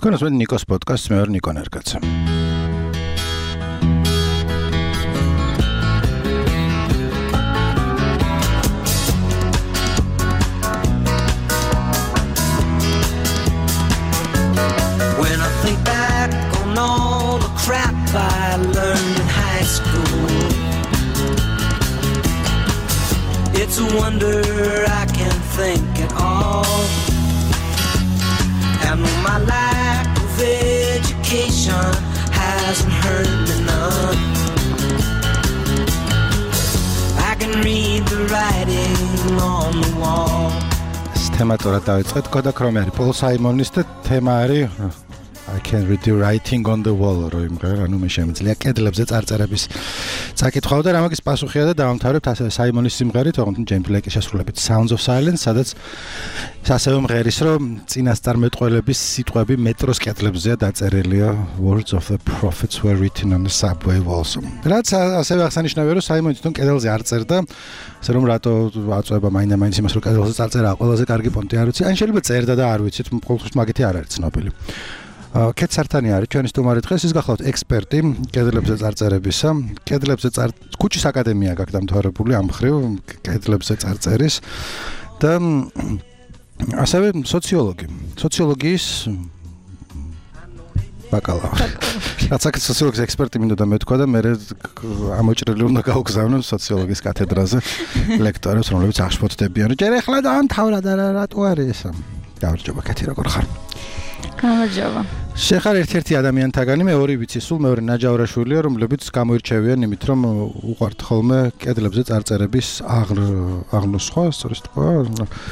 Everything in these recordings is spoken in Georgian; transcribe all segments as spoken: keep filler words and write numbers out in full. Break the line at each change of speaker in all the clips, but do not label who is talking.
Თქვენ ნიკოს პოდკასტს, მე ვარ ნიკო ნერგაცა.
When I think back on all the crap I learned in high school, it's a wonder I can think at all. And my lack of education hasn't hurt me none. I can read the writing on the wall.
თემატურად დავიწყეთ, კოდაკ რომ არის პოლ საიმონის და თემა არის I can read the writing on the wall, რო იმღერა, ანუ მე შემიძლია კედლებზე წარწერების წაკითხვა და რამაგის პასუხია და დავამთავრებთ ასევე საიმონის სიმღერით, ოღონდ ჯეიმს ბლეკის შესრულებით Sounds of Silence, სადაც ასევე მღერის, რომ წინასწარმეტყველების სიტყვები მეტროს კედლებზეა დაწერილია Words of the prophets were written on the subway walls. რაც ასევე აღსანიშნავია, რომ საიმონი თვითონ კედელზე არ წერდა, ასე რომ რატო აწვება მაინდა-მაინც იმას, რომ კედელზე წარწერაა ყველაზე კარგი პონტი არ ვიცი, ან შეიძლება წერდა და არ ვიცით, ყოველთვის მაგითი არ არის ცნობილი. კეთ სარტანი არის ჩვენი სტუმარი დღეს, ის გახლავთ ექსპერტი კედლებზე წარწერებისა. კედლებზე წარ ქუჩის აკადემია გაქვს დამთავრებული ამ მხრივ კედლებზე წარწერის და ასევე სოციოლოგი. სოციოლოგიის ბაკალავრი. რაც აქ სოციოლოგიის ექსპერტი მინდოდა მეთქვა და მე ამოჭრილი უნდა გავგზავნო სოციოლოგიის კათედრაზე ლექტორებს, რომლებიც აღშფოთდებიან. ჯერ ახლა დაამთავრა და რატო არის ეს? გამარჯობა კეთი, როგორ ხარ?
გამარჯობა.
შეხარ ერთ-ერთი ადამიანთაგანი, მე ორი ვიცი, სულ მეორე ნაჯავრაშვილია, რომლებიც გამოირჩევიან იმით, რომ უყვართ ხოლმე კედლებზე წარწერების აღნოსხვა, სწორედ თქვა.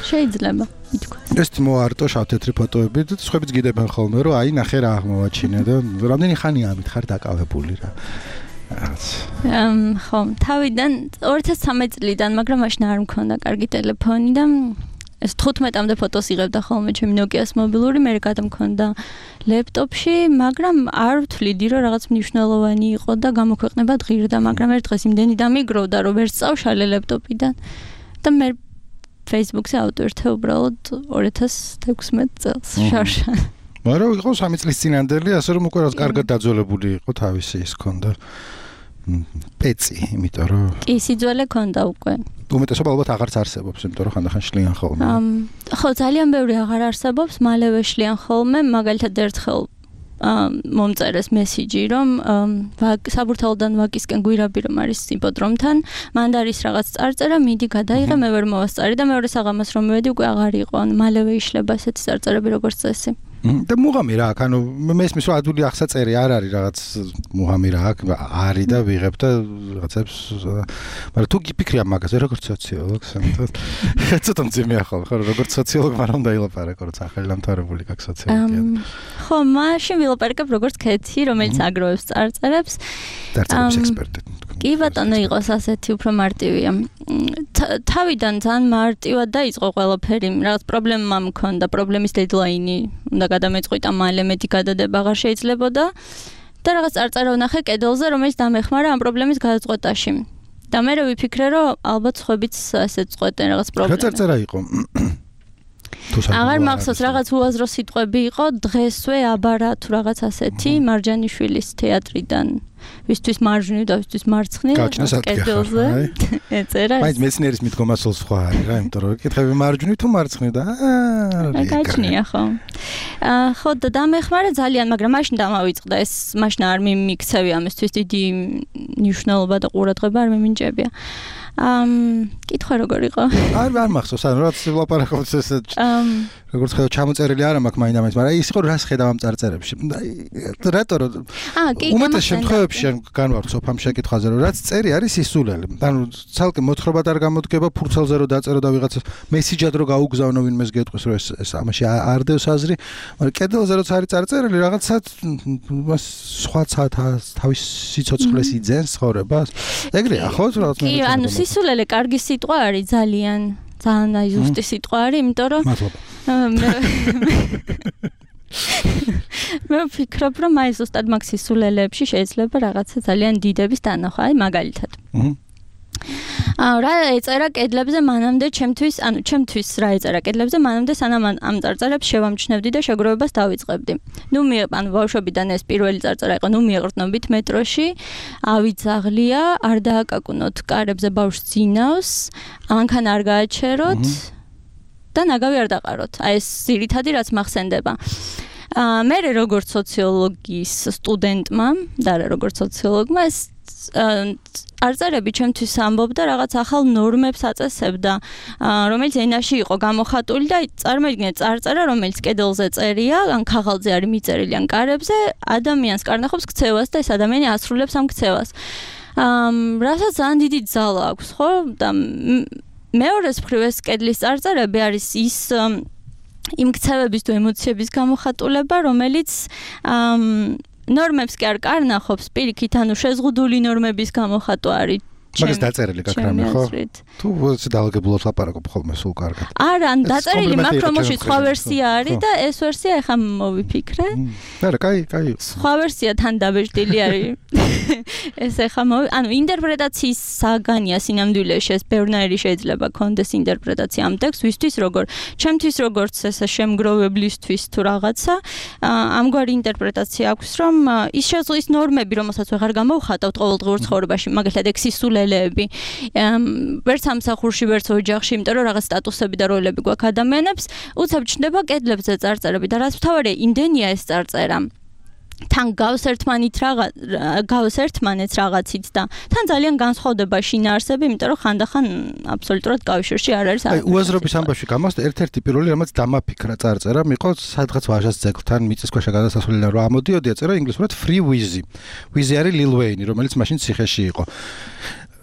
შეიძლება, ითქვა.
ეს მოარტო შავ-თეთრი ფოტოები და სხვაებიც გიდებენ ხოლმე, რომ აი ნახე რა აღმოვაჩინე და რამდენი ხანია ამით ხარ დაკავებული რა.
ამ ხო, თავიდან ორი ათას ცხრამეტ წლიდან, მაგრამ მაშინ არ მქონდა კარგი ტელეფონი და ეს თხუთმეტამდე ფოტოს იღებდა ხოლმე ჩემი Nokia-ს მობილური, მე გადამქონდა ლეპტოპში, მაგრამ არ ვთვლიდი, რომ რაღაც მნიშვნელოვანი იყო და გამოქვეყნება ღირდა, მაგრამ ერთ დღეს იმდენი დამიგროვდა, რომ ვერ სწავშალე ლეპტოპიდან და მე Facebook-ზე ავტვირთე უბრალოდ ორი ათას ექვსმეტ წელს შარშან.
მაგრამ იყო სამი წლის წინანდელი, ასე რომ უკვე რაღაც კარგად დაძველებული იყო თავისი ის ქონდა პეცი, იმიტომ რომ
კი, სიძველე ქონდა უკვე.
უმეტესობა ალბათ აღარც არსებობს, იმიტომ რომ ხანდახან შლიან ხოლმე.
ხო, ძალიან ბევრი აღარ არსებობს, მალევე შლიან ხოლმე, მაგალითად ერთხელ მომწერეს მესიჯი, რომ საბურთალოდან ვაკისკენ გვირაბი რომ არის იპოდრომთან, მანდ არის რაღაც წარწერა, მიდი გადაიღე, მე ვერ მოვასწარი და მეორე საღამოს რომ მივედი, უკვე აღარ იყო, ან მალევე იშლება ესეთი წარწერები როგორც წესი.
და მუღამი რა აქ, ანუ მე ისმის რომ ადვილი ახსაწერი არ არის რაღაც მუღამი რა აქ არის და ვიღებ და რაღაცებს, მაგრამ თუ გიფიქრია მაგაზე როგორც სოციოლოგს, ცოტა მძიმეა ხოლმე, ხო, როგორც სოციოლოგი მაგრამ უნდა ილაპარაკო, როგორც ახალი დამთავრებული გაქვს სოციოლოგია.
ხო, მაშინ ვილაპარაკებ როგორც კეთი, რომელიც აგროვებს წარწერებს.
წარწერების ექსპერტი.
კი ბატონო, იყოს ასეთი უფრო მარტივია. თავიდან ძალიან მარტივად დაიწყო ყველაფერი, რაღაც პრობლემა მქონდა, პრობლემის დედლაინი უნდა გადამეწყვიტა მალე, მეტი გადადება აღარ შეიძლებოდა და რაღაც წარწერა ვნახე კედელზე, რომელიც დამეხმარა ამ პრობლემის გადაწყვეტაში. და მე ვიფიქრე, რომ ალბათ სხვაებიც ასეც წყვეტენ რაღაც პრობლემას.
რა წარწერა იყო?
აღარ მახსოვს, რაღაც უაზრო სიტყვები იყო, დღესვე აბარა თუ რაღაც ასეთი, მარჯანიშვილის თეატრიდან. ვისთვის მარჯვნივ და ვისთვის მარცხნივ კედელზე ეწერა.
მაინც მეცნიერის მიდგომასოლ სხვა არის რა, იმიტომ რომ კითხები მარჯვნივ თუ მარცხნივ და
აა გაჩნია ხო. აა ხო და დამეხმარა ძალიან, მაგრამ მაშინ დამავიწყდა ეს, მაშინ არ მიმიქცევი ამისთვის დიდი მნიშვნელობა და ყურადღება არ მიმინჭებია. ამ კითხვა როგორ იყო?
არ არ მახსოვს, ანუ რაც ვლაპარაკობთ ეს როგორც ხედავ ჩამოწერილი არ მაქვს მაინდა-მაინც, მაგრამ ის იყო რას ხედავ ამ წარწერებში. რატო რომ
აა კი,
უმეტეს შემთხვევებში განვართ სოფამ შეკითხვაზე, რომ რაც წერი არის ისულელი. ანუ ცალკე მოთხრობად არ გამოდგება, ფურცელზე რომ დაწერო და ვიღაცა მესიჯად რომ გაუგზავნო ვინმეს გეტყვის, რომ ეს ეს ამაში არ დევს აზრი, მაგრამ კედელზე როცა არის წარწერილი, რაღაცა სხვა თავის სიცოცხლეს იძენს ცხოვრებას. ეგრეა ხო რაღაც
მე? კი, ანუ სისულელე კარგი სიტყვა არის ძალიან. ძალიან აი ზუსტი სიტყვა არის, იმიტომ რომ მე ვფიქრობ, რომ აი ზუსტად მაგ სისულელეებში შეიძლება რაღაცა ძალიან დიდების დანახვა, აი მაგალითად. რა ეწერა კედლებზე მანამდე ჩემთვის, ანუ ჩემთვის რა ეწერა კედლებზე მანამდე სანამ ამ წარწერებს შევამჩნევდი და შეგროვებას დავიწყებდი. ნუ მე ანუ ბავშვობიდან ეს პირველი წარწერა იყო, ნუ მიეღრდნობით მეტროში, ავიძაღლია, არ დააკაკუნოთ კარებზე ბავშვს ძინავს, ამანქან არ გააჩეროთ და ნაგავი არ დაყაროთ. აი ეს ძირითადი რაც მახსენდება. აა მე როგორც სოციოლოგიის სტუდენტმა და როგორც სოციოლოგმა ეს არწერები ჩემთვის ამბობდა რაღაც ახალ ნორმებს აწესებდა, რომელიც ენაში იყო გამოხატული და წარმოიდგინეთ წარწერა, რომელიც კედელზე წერია, ან ქაღალდზე არის მიწერილი, ან კარებზე, ადამიანს კარნახობს ქცევას და ეს ადამიანი ასრულებს ამ ქცევას. აა რასაც ძალიან დიდი ძალა აქვს, ხო? და მეორეს მხრივ ეს კედლის წარწერები არის ის იმ ქცევების თუ ემოციების გამოხატულება, რომელიც ნორმებს კი არ კარნახობს, პირიქით, ანუ შეზღუდული ნორმების გამოხატვა არის.
მაგას დაწერილი გაქრამე, ხო? თუ ეს დაალგებულად ლაპარაკობ ხოლმე სულ კარგად.
არა, ან დაწერილი, მაგრამ მოში სხვა ვერსია არის და ეს ვერსია ახლა მოვიფიქრე.
არა, კაი, კაი.
სხვა ვერსია თან დაბეჭდილი არის. ეს ახლა მოვი, ანუ ინტერპრეტაციის საგანია სინამდვილეში, ეს ბევრნაირი შეიძლება კონდეს ინტერპრეტაცია ამ ტექსტს, ვისთვის როგორ, ჩემთვის როგორც ესე შემგროვებლისთვის თუ რაღაცა, ამგვარი ინტერპრეტაცია აქვს, რომ ის შეზღუდვის ნორმები, რომელსაც ვეღარ გამოვხატავთ ყოველდღიურ ცხოვრებაში, მაგალითად ექსისულე ვერც სამსახურში, ვერც ოჯახში, იმიტომ რომ რაღაც სტატუსები და როლები გვაქვს ადამიანებს, უცებ ჩნდება კედლებზე წარწერები და რაც მთავარია, იმდენია ეს წარწერა. თან გავს ერთმანით რაღაც, გავს ერთმანეთს რაღაცით და თან ძალიან განსხვავდება შინაარსები, იმიტომ რომ ხანდახან აბსოლუტურად კავშირში არ არის.
აი, უაზრობის ამბავში გამოსდა ერთ-ერთი პირველი, რამაც დამაფიქრა წარწერა, მიყო სადღაც ვაჟას ძეგლთან მიწისქვეშა გადასასვლელიდან რა ამოდიოდი, ეწერა ინგლისურად Free Wheezy. Wheezy არის Lil Wayne, რომელიც მაშინ ციხეში იყო.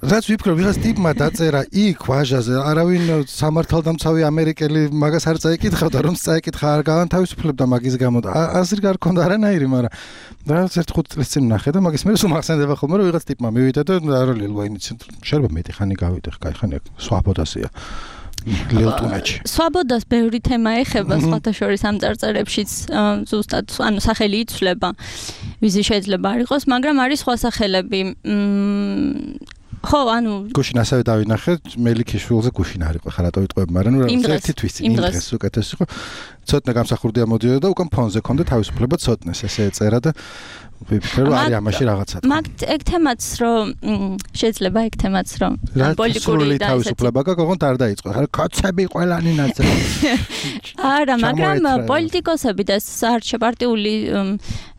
რაც ვიფიქრე, ვიღაც ტიპმა დაწერა იქ ვაჟაზე, არავინ სამართალდამცავი ამერიკელი მაგას არ წაიკითხავდა, რომ წაიკითხა არ გავანთავისუფლებდა მაგის გამო. აზრი არ ქონდა არანაირი, მაგრამ რაღაც ერთ ხუთ წელს წინ ნახე და მაგის მე სულ მახსენდება ხოლმე, რომ ვიღაც ტიპმა მივიდა და არა Lil Wayne-იც შეიძლება მეტი ხანი გავიდე, კაი ხანი სვაბოდასია. ლილტუნაჩი.
სვაბოდას ბევრი თემა ეხება, სხვათა შორის ამ წარწერებშიც ზუსტად, ანუ სახელი იცვლება, ვიზი შეიძლება არ იყოს, მაგრამ არის სხვა სახელები. ხო, ანუ
გუშინ ასევე დავინახე, მელიქიშვილზე გუშინ არ იყო, ხა რატო ვიტყვები, მაგრამ ნუ ერთი თვის წინ იმ დღეს უკეთეს იყო. ცოტნე გამსახურდი ამოდიოდა და უკან ფონზე ქონდა თავისუფლება ცოტნეს, ესე ეწერა და ვიფიქრე, რომ არის ამაში რაღაცა.
მაგ ეგ თემაც რომ შეიძლება ეგ თემაც რომ
პოლიტიკური თავისუფლება გაგონთ არ დაიწყო. ხა კაცები ყველანი ნაცე.
არა, მაგრამ პოლიტიკოსები და საარჩევნო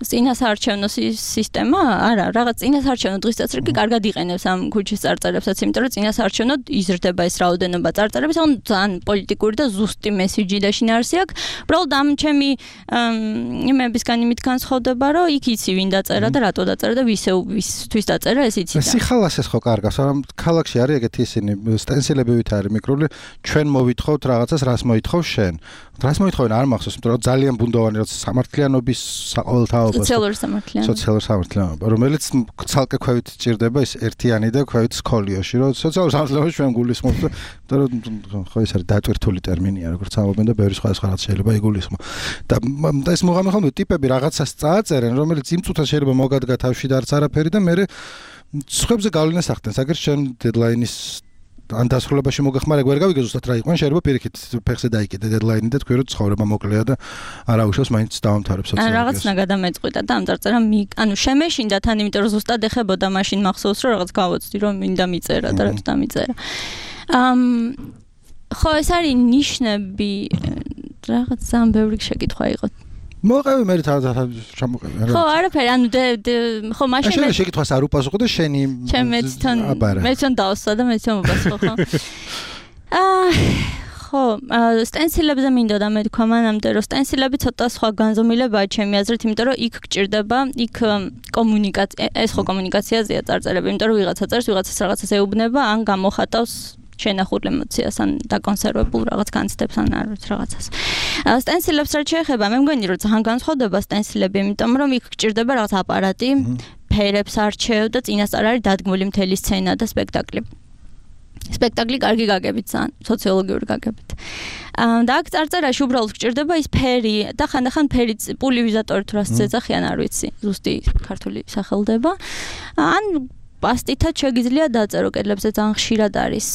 წინასაარჩევნო სისტემა, არა, რაღაც წინასაარჩევნო დღისწესრიგი კარგად იყენებს ამ ქუჩის წარწერებსაც, იმიტომ რომ წინასაარჩევნოდ იზრდება ეს რაოდენობა წარწერების, ანუ ძალიან პოლიტიკური და ზუსტი მესიჯი და შინაარსი აქვს. უბრალოდ ამ ჩემი იმებისგან იმით განსხვავდება, რომ იქ იცი ვინ დაწერა და რატო დაწერა და ვისთვის დაწერა ეს იცი.
სიხალას ეს ხო კარგავს, მაგრამ ქალაქში არის ეგეთი ისინი სტენსილებივით არის მიკრული, ჩვენ მოვითხოვთ რაღაცას, რას მოითხოვ შენ. რას მოითხოვენ არ მახსოვს, იმიტომ რომ ძალიან ბუნდოვანი როცა სამართლიანობის საყოველთაობა,
სოციალური სამართლიანობა,
სოციალური სამართლიანობა, რომელიც ცალკე ქვევით ჭირდება ის ერთიანი და ქვევით სკოლიოში, რომ სოციალურ სამართლიანობაში ჩვენ გულისხმობთ, იმიტომ რომ ხო ეს არის დატვირთული ტერმინია, როგორც ამობენ და ბევრი სხვა სხვა რაც შეიძლება იგულისხმო. და ეს მოღამე ხოლმე ტიპები რაღაცას წააწერენ, რომელიც იმ წუთას შეიძლება მოგადგა თავში და არც არაფერი და მე სხვებზე გავლენას ახდენს. აგერ შენ დედლაინის ან დასრულებაში მოგახმარება ვერ გავიგე ზუსტად რა იყო, შეიძლება პირიქით ფეხზე დაიკიდე დედლაინი და თქვი რომ ცხოვრება მოკლეა და არა უშავს მაინც დავამთავრებ სოციალურ.
ან რაღაცნა გადამეწყვიტა და ამ წარწერა ანუ შემეშინდა თან, იმიტომ რომ ზუსტად ეხებოდა მაშინ მახსოვს რომ რაღაც გავოცდი რომ მინდა მიწერა და რაც დამიწერა. ამ ხო ეს არის ნიშნები, რაღაც ძალიან ბევრი შეკითხვა იყო.
მოყევი მე ჩამოყევი რა.
ხო, არაფერი, ანუ ხო მაშინ
მე შეკითხვას არ უპასუხო და შენი
ჩემეც თან მე თან დავსვა და მე თან მოპასუხო, ხო. აა ხო, სტენსილებზე მინდოდა მე თქვა მანამდე, რომ სტენსილები ცოტა სხვა განზომილებაა ჩემი აზრით, იმიტომ რომ იქ გჭირდება, იქ კომუნიკაცია, ეს ხო კომუნიკაციაზეა წარწერები, იმიტომ რომ ვიღაცა წერს, ვიღაცას რაღაცას ეუბნება, ან გამოხატავს შენახულ ემოციას ან დაკონსერვებულ რაღაც განცდებს ან არ ვიცი რაღაცას. სტენსილებს რაც შეეხება, მე მგონი რომ ძალიან განსხვავდება სტენსილები, იმიტომ რომ იქ გჭირდება რაღაც აპარატი, ფერებს არჩევ და წინასწარ არის დადგმული მთელი სცენა და სპექტაკლი. სპექტაკლი კარგი გაგებით ძალიან, სოციოლოგიური გაგებით. და აქ წარწერაში უბრალოდ გჭირდება ის ფერი და ხანდახან ფერიც პულივიზატორი თუ რას წეძახიან არ ვიცი, ზუსტი ქართული სახელდება. ან პასტითაც შეგიძლია დაწერო, კედლებზე ძალიან ხშირად არის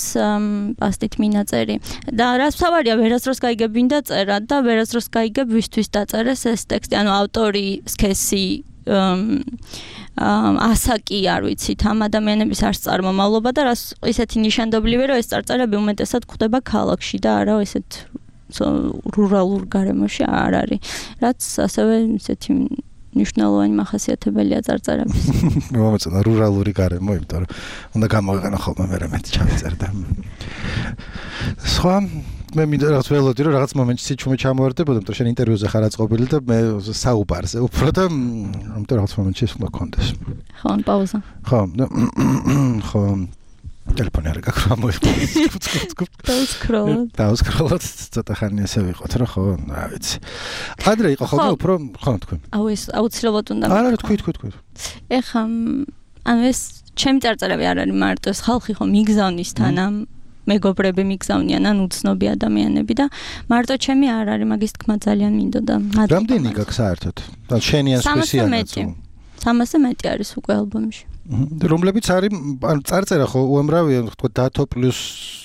პასტით მინაწერი. და რაც თავარია, ვერასდროს გაიგებინდა წერა და ვერასდროს გაიგებ ვისთვის დაწერეს ეს ტექსტი, ანუ ავტორი, სქესი, ასაკი არ ვიცით ამ ადამიანების არც წარმომავლობა და რაც ისეთი ნიშანდობლივია, რომ ეს წარწერები უმეტესად გვხვდება ქალაქში და არა ესეთ რურალურ გარემოში არ არის. რაც ასევე ისეთი ნიშნულოვანი მახასიათებელია წარწერების.
მომეწონა რურალური გარემო, იმიტომ რომ უნდა გამოვიყენო ხოლმე მე მე ჩავწერდა. სხვა მე მინდა რაღაც ველოდი რომ რაღაც მომენტში სიჩუმე ჩამოვარდებოდა, იმიტომ რომ შენ ინტერვიუზე ხარ აწყობილი და მე საუბარზე უფრო და ამიტომ რაღაც მომენტში ეს უნდა გქონდეს.
ხო, პაუზა.
ხო, ხო. ტელეფონი არ გაქვს რა მოიხდა.
დაუსკროლოთ.
დაუსკროლოთ ცოტა ხანი ესე ვიყოთ რა ხო, რა ვიცი. ადრე იყო ხოლმე უფრო ხო თქვენ.
აუ ეს აუცილებლად უნდა.
არა, თქვი, თქვი, თქვი.
ეხა ანუ ეს ჩემი წარწერები არ არის მარტო ეს ხალხი ხო მიგზავნის თან ამ მეგობრები მიგზავნიან ან უცნობი ადამიანები და მარტო ჩემი არ არის მაგის თქმა ძალიან მინდოდა.
რამდენი გაქვს საერთოდ? და შენი ან სხვისიანაც?
სამასზე მეტი არის უკვე ალბომში.
რომლებიც არის ანუ წარწერა ხო უამრავია თქო დათო პლუს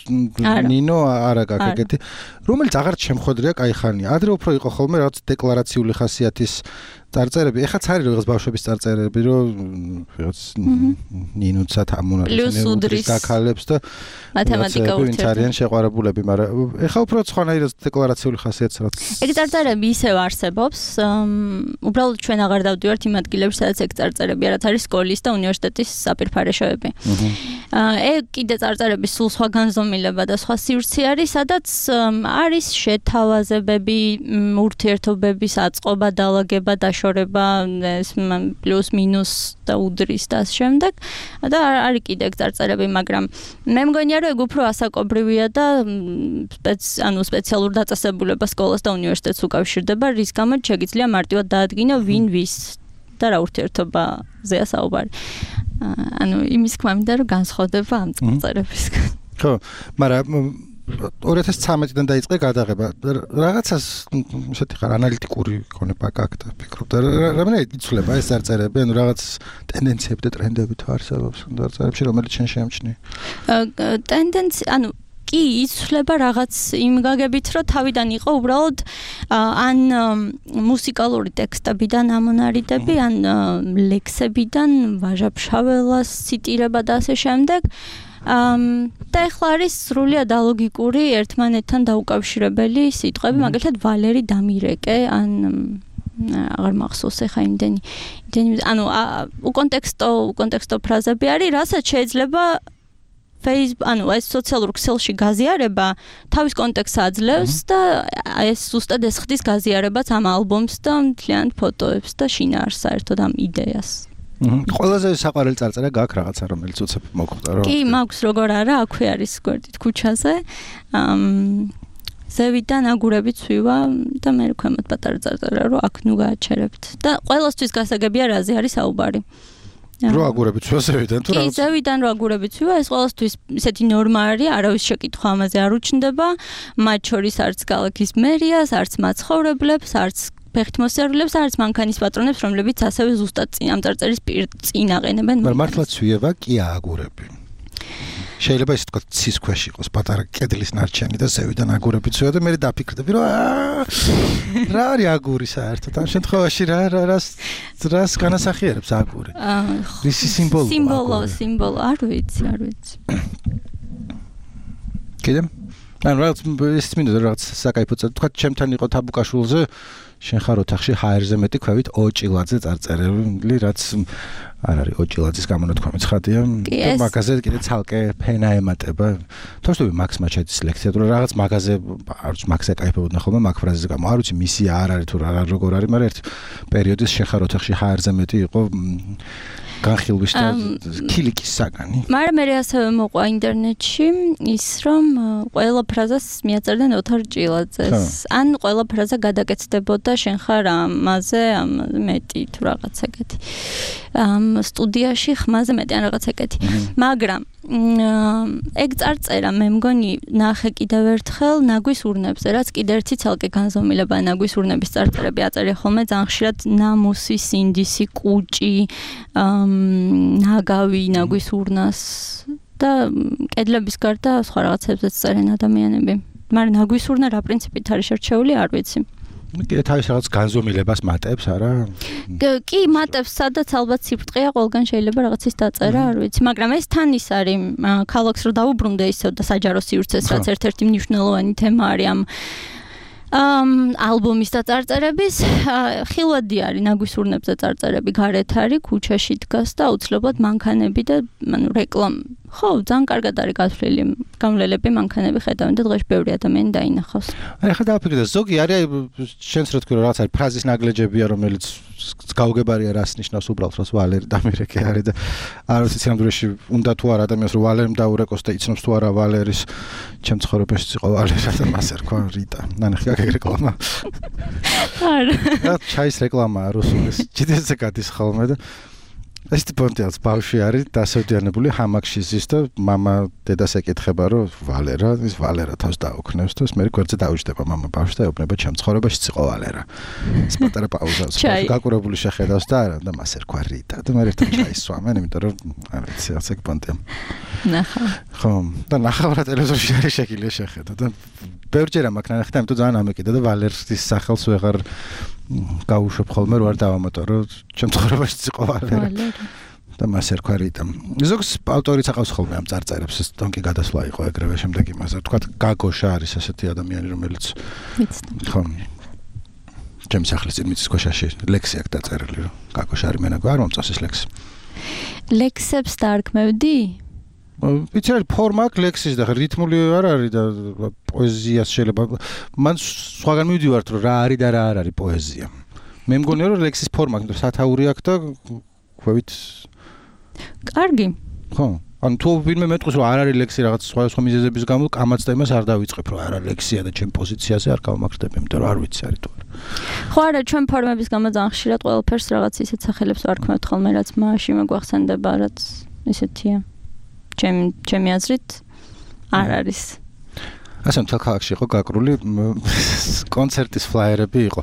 ნინო არა გაქვს ეგეთი რომელიც აღარ შემხვედრია კაი ხანია ადრე უფრო იყო ხოლმე რაღაც დეკლარაციული ხასიათის წარწერები ეხაც არის რაღაც ბავშვების წარწერები რომ რაღაც ნინოცად ამონარეს გაქალებს და
მათემატიკა ურთიერთობა
არიან შეყვარებულები მაგრამ ეხა უფრო სხვანაირად დეკლარაციული ხასიათს რაც
ეგ წარწერები ისევ არსებობს უბრალოდ ჩვენ აღარ დავდივართ იმ ადგილებში სადაც ეგ წარწერები რაც არის სკოლის და უნივერსიტეტის საპირფარეშოები ეგ კიდე წარწერები სულ სხვა განზომილება და სხვა სივრცე არის სადაც არის შეთავაზებები ურთიერთობების აწყობა დაალაგება დაშორება ეს პლუს მინუს და უდრის და შემდეგ და არის კიდე ეგ წარწერები მაგრამ მე მგონია რომ ეგ უფრო ასაკობრივია და ანუ სპეციალურ დაწესებულებას სკოლას და უნივერსიტეტს უკავშირდება რის გამოც შეგიძლია მარტივად დაადგინო ვინ ვის და რა ურთიერთობაზეა საუბარი ანუ იმის თქმა მინდა რომ განსხვავდება ამ წარწერებისგან
ხო მაგრამ ორი ათას ცხრამეტიდან დაიწყე გადაღება რაღაცას ისეთი ხარ ანალიტიკური ქონება გაქვს და ფიქრობ და რამე იცვლება ეს წარწერები ანუ რაღაც ტენდენციები და ტრენდები თუ არსებობს წარწერებში რომელიც შენ შეამჩნია
ტენდენცია ანუ კი იცვლება რაღაც იმ გაგებით რომ თავიდან იყო უბრალოდ ან მუსიკალური ტექსტებიდან ამონარიდები ან ლექსებიდან ვაჟა-ფშაველას ციტირება და ასე შემდეგ და ეხლა არის სრულიად ალოგიკური ერთმანეთთან დაუკავშირებელი სიტყვები, მაგალითად ვალერი დამირეკე, ან აღარ მახსოვს ეხა იმდენი, იმდენი, ანუ უკონტექსტო, უკონტექსტო ფრაზები არის, რასაც შეიძლება Facebook, ანუ ეს სოციალურ ქსელში გაზიარება თავის კონტექსტს აძლევს და ეს ზუსტად ეს ხდის გაზიარებაც ამ ალბომს და მთლიან ფოტოებს და შინაარსს საერთოდ ამ იდეას.
ყველაზე საყვარელი წარწერა გაქვს რაღაცა რომელიც უცებ მოგვხვდა რომ
კი მაქვს როგორ არა აქვე არის გვერდით ქუჩაზე ზევიდან აგურებით ვივა და მე ქვემოთ პატარა წარწერა რომ აქ ნუ გააჩერებთ და ყველასთვის გასაგებია რაზე არის საუბარი
რო აგურებით ვივა ზევიდან თუ
რაღაც კი ზევიდან რო აგურებით ვივა ეს ყველასთვის ისეთი ნორმა არის არავის შეკითხვა ამაზე არ უჩნდება მათ შორის არც ქალაქის მერიას არც მაცხოვრებლებს არც ფეხით მოსიარულებს არც მანქანის პატრონებს, რომლებიც ასევე ზუსტად წინ ამ წარწერის წინ აყენებენ.
მაგრამ მართლაც ვიება კი აგურები. შეიძლება ისე თქვა ცის ქვეშ იყოს პატარა კედლის ნარჩენი და ზევიდან აგურები წვია და მე დაფიქრდები რომ რა არის აგური საერთოდ ამ შემთხვევაში რა რას რას განასახიერებს აგური? რისი სიმბოლოა?
სიმბოლო, სიმბოლო, არ ვიცი, არ ვიცი.
კიდე? ან რაღაც ის მინდა რაღაც საკაიფო წა თქვა ჩემთან იყო თაბუკაშულზე შენ ხარ ოთახში ჰაერზე მეტი ქვევით ოჭილაძე წარწერილი რაც არ არის ოჭილაძის გამონათქვამი ცხადია მაგაზე კიდე ცალკე ფენა ემატება თორსტოვი მაქს მაჩედის ლექცია თუ რაღაც მაგაზე არ ვიცი მაქს ეკაიფებოდნენ ხოლმე მაგ ფრაზაზე გამო არ ვიცი მისია არ არის თუ რა როგორ არის მაგრამ ერთ პერიოდის შენ ხარ ოთახში ჰაერზე მეტი იყო განხილვის და ქილიკის საგანი.
მაგრამ მე ასევე მოყვა ინტერნეტში ის რომ ყველა ფრაზას მიაწერდნენ ოთარ ჭილაძეს. ან ყველა ფრაზა გადაკეთდებოდა შენ ხარ ამაზე მეტი თუ რაღაც ეგეთი. ამ სტუდიაში ხმაზე მეტი ან რაღაც ეგეთი. მაგრამ ეგ წარწერა მე მგონი ნახე კიდევ ერთხელ ნაგვის ურნებზე, რაც კიდევ ერთი ცალკე განზომილება ნაგვის ურნების წარწერები აწერია ხოლმე ძალიან ხშირად ნამუსი, სინდისი, კუჭი, ნაგავი ნაგვის ურნას და კედლების გარდა სხვა რაღაცებზეც წერენ ადამიანები. მაგრამ ნაგვის ურნა რა პრინციპით არის შერჩეული, არ ვიცი.
კიდე თავის რაღაც განზომილებას მატებს, არა?
კი, მატებს, სადაც ალბათ სიფრთხეა, ყველგან შეიძლება რაღაცის დაწერა, არ ვიცი, მაგრამ ეს თან ის არის, ქალაქს რო დაუბრუნდე ისევ და საჯარო სივრცეს, რაც ერთ-ერთი მნიშვნელოვანი თემა არის ამ ამ ალბომის და წარწერების ხილვადი არის ნაგვის ურნებზე წარწერები გარეთ არის ქუჩაში დგას და აუცილებლად მანქანები და ანუ რეკლამ ხო ძალიან კარგად არის გათვლილი გამლელები მანქანები ხედავენ და დღეში ბევრი ადამიანი დაინახავს.
აი ხა დააფიქრე და ზოგი არის შენს რა თქვი რაღაც არის ფრაზის ნაგლეჯებია რომელიც გაუგებარია რას ნიშნავს უბრალოდ რას ვალერი დამირეკე არის და არ ვიცი სამდროში უნდა თუ არა ადამიანს რომ ვალერიმ დაურეკოს და იცნობს თუ არა ვალერის ჩემ ცხოვრებაში იყო ვალერა და მასე რქვა რიტა ნანახი აქ რეკლამა არა ჩაის რეკლამაა რუსულის ჯიდეზე გადის ხოლმე და ეს ტიპონტიალს ბავშვი არის დასევდიანებული ჰამაკში ზის და мама დედას ეკითხება რომ ვალერა ის ვალერა თავს დაუქნევს და მე გვერდზე დაუჯდება мама ბავშვს და ეუბნება ჩემ ცხოვრებაში იყო ვალერა ეს პატარა პაუზას გაკურებული შეხედავს და არა და მასე რქვა რიტა და მე ერთად ჩაისვამენ იმიტომ რომ არ ვიცი ასე პონტია
ნახა
ხო და ნახავრა ტელევიზორში არის შეგიძლია შეხედო და ბევრჯერ ამ აქ ნახეთ ამიტომ ძალიან ამეკიდა და ვალერის სახელს ვეღარ გაუშვებ ხოლმე რო არ დავამატო ჩემ ცხოვრებაში იყო ვალერა და მასე რქვა რიტა ზოგს ავტორიც აყავს ხოლმე ამ წარწერებს ეს თონკი გადასვლა იყო ეგრევე შემდეგ იმაზე თქვა გაგოშა არის ასეთი ადამიანი რომელიც ხო ჩემს ახლის წინ მიწის ქვეშაში ლექსი აქვს დაწერილი რომ გაგოშა არის მენაგვარი არ მომწონს ეს ლექსი
ლექსებს დაარქმევდი
ვიცი რა ფორმა აქვს ლექსის და რითმული არ არის და პოეზიას შეიძლება მან სხვაგან მივდივართ რომ რა არის და რა არ არის პოეზია მე მგონია რომ ლექსის ფორმა აქვს სათაური აქვს და ხვევით
კარგი
ხო ანუ თუ ვინმე მეტყვის რომ არ არის ლექსი რაღაც სხვა სხვა მიზეზების გამო კამაც და იმას არ დავიწყებ რომ არა ლექსია და ჩემ პოზიციაზე არ გავმაგრდები იმიტომ რომ არ ვიცი არის თუ არა
ხო არა ჩვენ ფორმების გამო ძალიან ხშირად ყველაფერს რაღაც ისეთ სახელებს ვარქმევთ ხოლმე რაც მაშინ მეგვახსენდება რაც ისეთია ჩემ ჩემი აზრით არ არის.
ასე მთელ ქალაქში იყო გაკრული კონცერტის ფლაიერები იყო.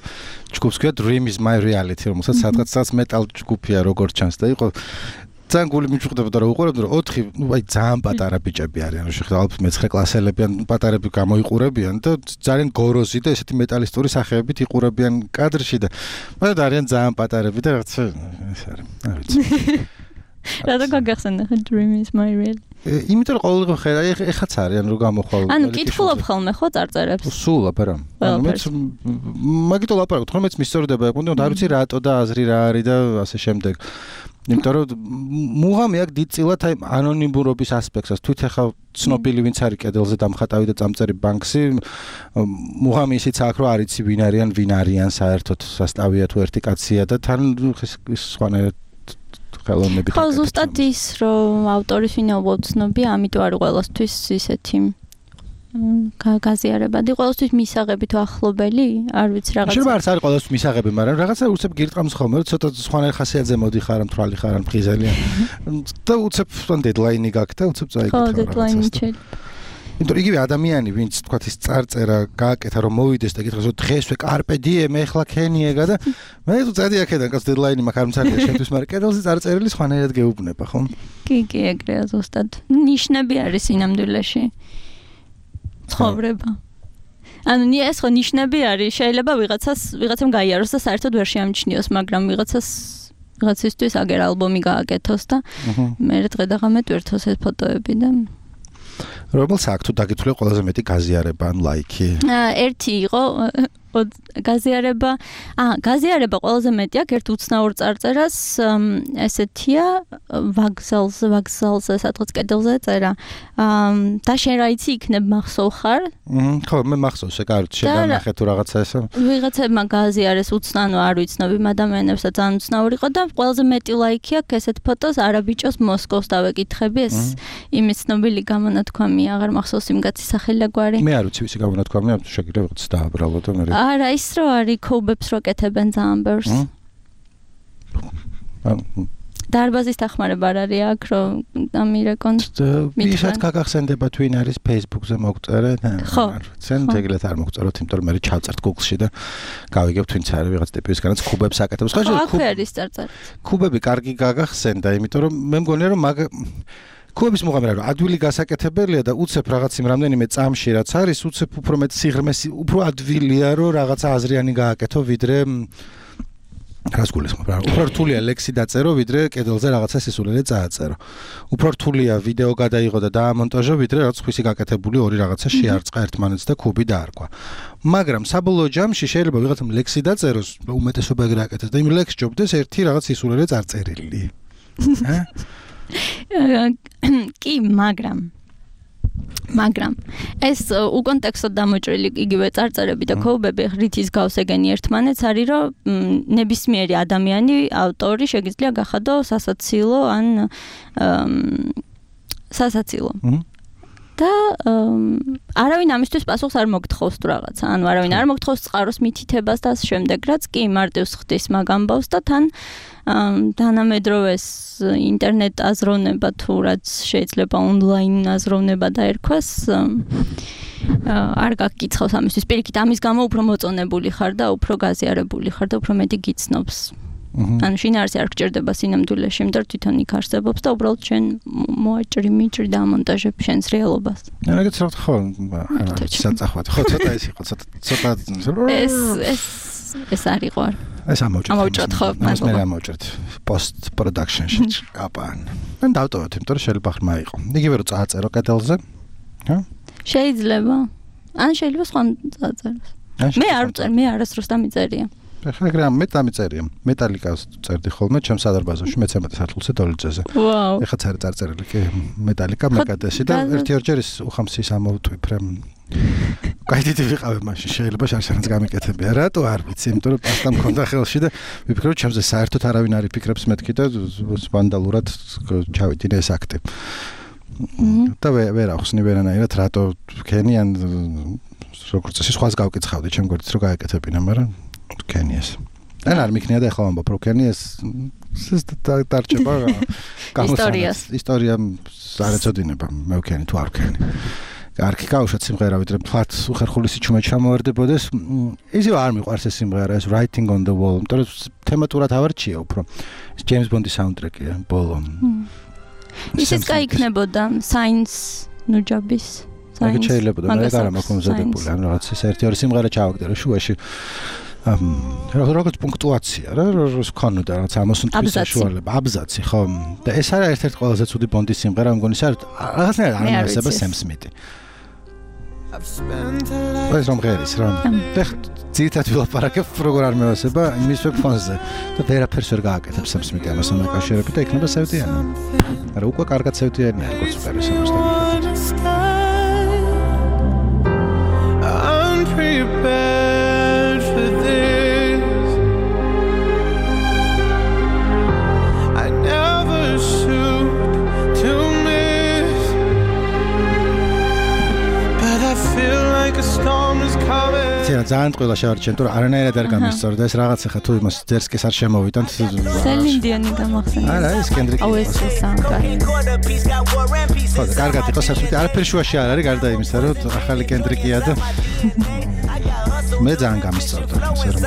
ჯგუფს ქვია Dream is my reality, რომელსაც სადღაც მეტალ ჯგუფია როგორც ჩანს და იყო ძალიან გული მიჭუხდებოდა რომ უყურებდი რომ ოთხი ნუ აი ძალიან პატარა ბიჭები არიან რომ შეხედა ალბათ მეცხრე კლასელები ან პატარები გამოიყურებიან და ძალიან გოროზი და ესეთი მეტალისტური სახეებით იყურებიან კადრში და მაგრამ არიან ძალიან პატარები და რაღაც ეს არის არ ვიცი
რატო გაგახსენე Dream is my reality
იმიტომ რომ ყოველდღე ხედა ეხაც არიან რომ გამოხვალ
ანუ კითხულობ ხოლმე ხო წარწერებს
სულ აბარა ანუ მეც მაგითო ლაპარაკობ თქო მეც მისწორდება იყო და არ ვიცი რატო და აზრი რა არის და ასე შემდეგ იმიტომ რომ მუღამი აქ დიდწილად აი ანონიმურობის ასპექტს თვით ახლა ცნობილი ვინც არის კედელზე დამხატავი და წამწერი ბანკსი მუღამი ისიც აქ რომ არიცი ვინ არიან ვინ არიან საერთოდ სასტავია თუ ერთი კაცია და თან ის სხვანაირად ხელოვნებით
ხო ზუსტად ის რომ ავტორის ვინაობა ცნობია ამიტომ არის ყველასთვის ისეთი გაზიარებადი ყველასთვის მისაღები თუ ახლობელი არ ვიცი რაღაცა
შეიძლება არც არის ყველასთვის მისაღები მაგრამ რაღაცა უცებ გირტყამს ხოლმე რომ ცოტა სხვანაირ ხასიათზე მოდიხარ მთვრალი ხარ ან ფრიზელია და უცებ თან დედლაინი გაქვს და უცებ წაიგეთ
ხო დედლაინი შეიძლება
იმიტომ იგივე ადამიანი ვინც თქვა ის წარწერა გააკეთა რომ მოვიდეს და გითხრას რომ დღესვე კარპე დიემ ეხლა ქენიეგა და მე თუ წადი აქედან კაც დედლაინი მაქვს არ მცადია შენთვის მაგრამ კედელზე წარწერილი სხვანაირად გეუბნება ხო
კი კი ეგრეა ზუსტად ნიშნები არის ინამდვილეში ცხოვრება ანუ ეს ხო ნიშნები არის შეიძლება ვიღაცას ვიღაცამ გაიაროს და საერთოდ ვერ შეამჩნიოს მაგრამ ვიღაცას ვიღაცისთვის აგერ ალბომი გააკეთოს და მე დღე და ღამე ტვირთოს ეს ფოტოები და
რომელს აქ თუ დაგითვლე ყველაზე მეტი გაზიარება ან ლაიქი
ერთი იყო გაზიარება აა გაზიარება ყველაზე მეტი აქვს ერთ უცნაურ წარწერას ესეთია ვაგზალზე ვაგზალზე სადღაც კედელზე წერა და შენ რა იცი იქნებ მახსოვ ხარ
ხო მე მახსოვს ეგ არ შეგანახე თუ რაღაცა ესა
ვიღაცებმა გაზიარეს უცნაურ არ ვიცნობ იმ ადამიანებს და ძალიან უცნაური იყო და ყველაზე მეტი ლაიქი აქვს ესეთ ფოტოს არაბიჭოს მოსკოვს დავეკითხები ეს იმის ცნობილი გამონათქვამი აღარ მახსოვს იმ კაცის სახელი და გვარი
მე არ ვიცი ვისი გამონათქვამია შეგიძლია ვიღაც დააბრალო და მე
არა ის რო არის ქობებს რო კეთებენ ძალიან ბევრს დარბაზის დახმარება არ არის აქ რომ ამირეკონ
ვისაც გაგახსენდება twin არის Facebook-ზე მოგწერე
ხო
ცენ ეგრეთ არ მოგწეროთ იმიტომ რომ მე ჩავწერთ Google-ში და გავიგებ twin-ს არის ვიღაც ტიპისგანაც კუბებს აკეთებს
ხო ხო არის წარწარი
კუბები კარგი გაგახსენდა იმიტომ რომ მე მგონია რომ მაგ კუბების მოღამერე რომ ადვილი გასაკეთებელია და უცებ რაღაც იმ რამდენიმე წამში რაც არის უცებ უფრო მეტ სიღრმეს უფრო ადვილია რომ რაღაცა აზრიანი გააკეთო ვიდრე რას გულისხმობ რა უფრო რთულია ლექსი დაწერო ვიდრე კედელზე რაღაცა სისულელე წააწერო უფრო რთულია ვიდეო გადაიღო და დაამონტაჟო ვიდრე რაღაც ხვისი გაკეთებული ორი რაღაცა შეარწყა ერთმანეთს და კუბი დაარქვა მაგრამ საბოლოო ჯამში შეიძლება ვიღაცამ ლექსი დაწეროს უმეტესობა ეგრე აკეთებს და იმ ლექსს ჯობდეს ერთი რაღაც სისულელე წარწერილი
კი მაგრამ მაგრამ ეს უკონტექსტოდ დამოჭრილი იგივე წარწერები და ქოუბები რითის გავს ეგენი ერთმანეთს არის რომ ნებისმიერი ადამიანი ავტორი შეგიძლია გახადო სასაცილო ან სასაცილო და არავინ ამისთვის პასუხს არ მოგთხოვს თუ რაღაცა ანუ არავინ არ მოგთხოვს წყაროს მითითებას და ამ შემდეგ რაც კი მარტივს ხდის მაგ ამბავს და თან თანამედროვეს ინტერნეტ აზროვნება თუ რაც შეიძლება ონლაინ აზროვნება დაერქვას არ გაგკითხავს ამისთვის პირიქით ამის გამო უფრო მოწონებული ხარ და უფრო გაზიარებული ხარ და უფრო მეტი გიცნობს ანუ შინაარსი არ გჭირდება სინამდვილეში იმიტომ თვითონ იქ არსებობს და უბრალოდ შენ მოაჭრი მიჭრი და ამონტაჟებ შენს რეალობას
რაღაც რა ხო საწახვად ხო ცოტა ის იყო ცოტა ცოტა
ეს ეს ეს არის ყარ
ეს ამოვჭრეთ
ამოვჭრეთ ხო
მას მე ამოვჭრეთ post production-ში აპან ან დავტოვოთ იმიტომ რომ შეიძლება ხმა იყო იგივე რომ წააწერო კედელზე ჰა
შეიძლება ან შეიძლება სხვა წააწეროს მე არ ვწერ მე არასდროს დამიწერია
ხა ეგრე მე დამიწერია მეტალიკას წერდი ხოლმე ჩემს სადარბაზოში მეცემეტე სართულზე დოლიძეზე
ვაუ
ეხა წარი წარწერილი კი მეტალიკა მეკადესი და ერთი ორჯერ ის უხამსის ამოვტვიფრე გაიდიდი ვიყავე მაშინ შეიძლება შარშანაც გამიკეთებია რატო არ ვიცი იმიტომ რომ პასტა მქონდა ხელში და ვიფიქრე რომ ჩემზე საერთოდ არავინ არ იფიქრებს მეთქი და ვანდალურად ჩავიდინე ეს აქტი და ვერ ახსნი ვერანაირად რატო ვქენი ან როგორც წესი სხვას გავკითხავდი ჩემ გვერდით რომ გაეკეთებინა მაგრამ ვქენი ეს ან არ მიქნია და ახლა ვამბობ რომ ვქენი ეს ეს დარჩება
ისტორიას
ისტორია არ ეწოდინება მე ვქენი თუ არ ვქენი კარგი გავუშვათ სიმღერა ვიდრე თქვათ უხერხული სიჩუმე ჩამოვარდებოდეს ისევ არ მიყვარს ეს სიმღერა ეს Writing on the Wall იმიტომ რომ თემატურად ავარჩია უფრო ეს ჯეიმს ბონდის საუნდტრეკია ბოლო
ისიც გაიქნებოდა Science ნუჯაბის
აი შეიძლება და მე არ მაქვს მომზადებული ან რაღაც ეს ერთი ორი სიმღერა ჩავაგდე შუაში ამ როგორც პუნქტუაცია რა როს ქონოდა რაღაც ამოსუნ თვის საშუალება აბზაცი ხო და ეს არის ერთ-ერთი ყველაზე ცუდი ბონდის სიმღერა მგონი სარ რაღაცნაირად არ მიესება სემ სმითი ეს რომ ღერის რა და ძირითადად ვილაპარაკებ როგორ არ მეესება იმის ფონზე და ვერაფერს ვერ გააკეთებ სემ სმითი ამასთან დაკავშირებით და იქნება სევდიანი არა უკვე კარგად სევდიანია როგორც პერის ამასთან ძალიან ყველა შევარჩენ, თუ არანაირად არ გამისწორდა ეს რაღაცა ხა თუ იმას ძერსკის არ შემოვიდან
სელინდიონი გამახსენდა.
არა, ეს კენდრიკი.
აუ ეს სამკარი.
ხო, კარგად იყო სასუპი, არაფერი შუაში არ არის გარდა იმისა, რომ ახალი კენდრიკია და მე ძალიან გამისწორდა ეს რომ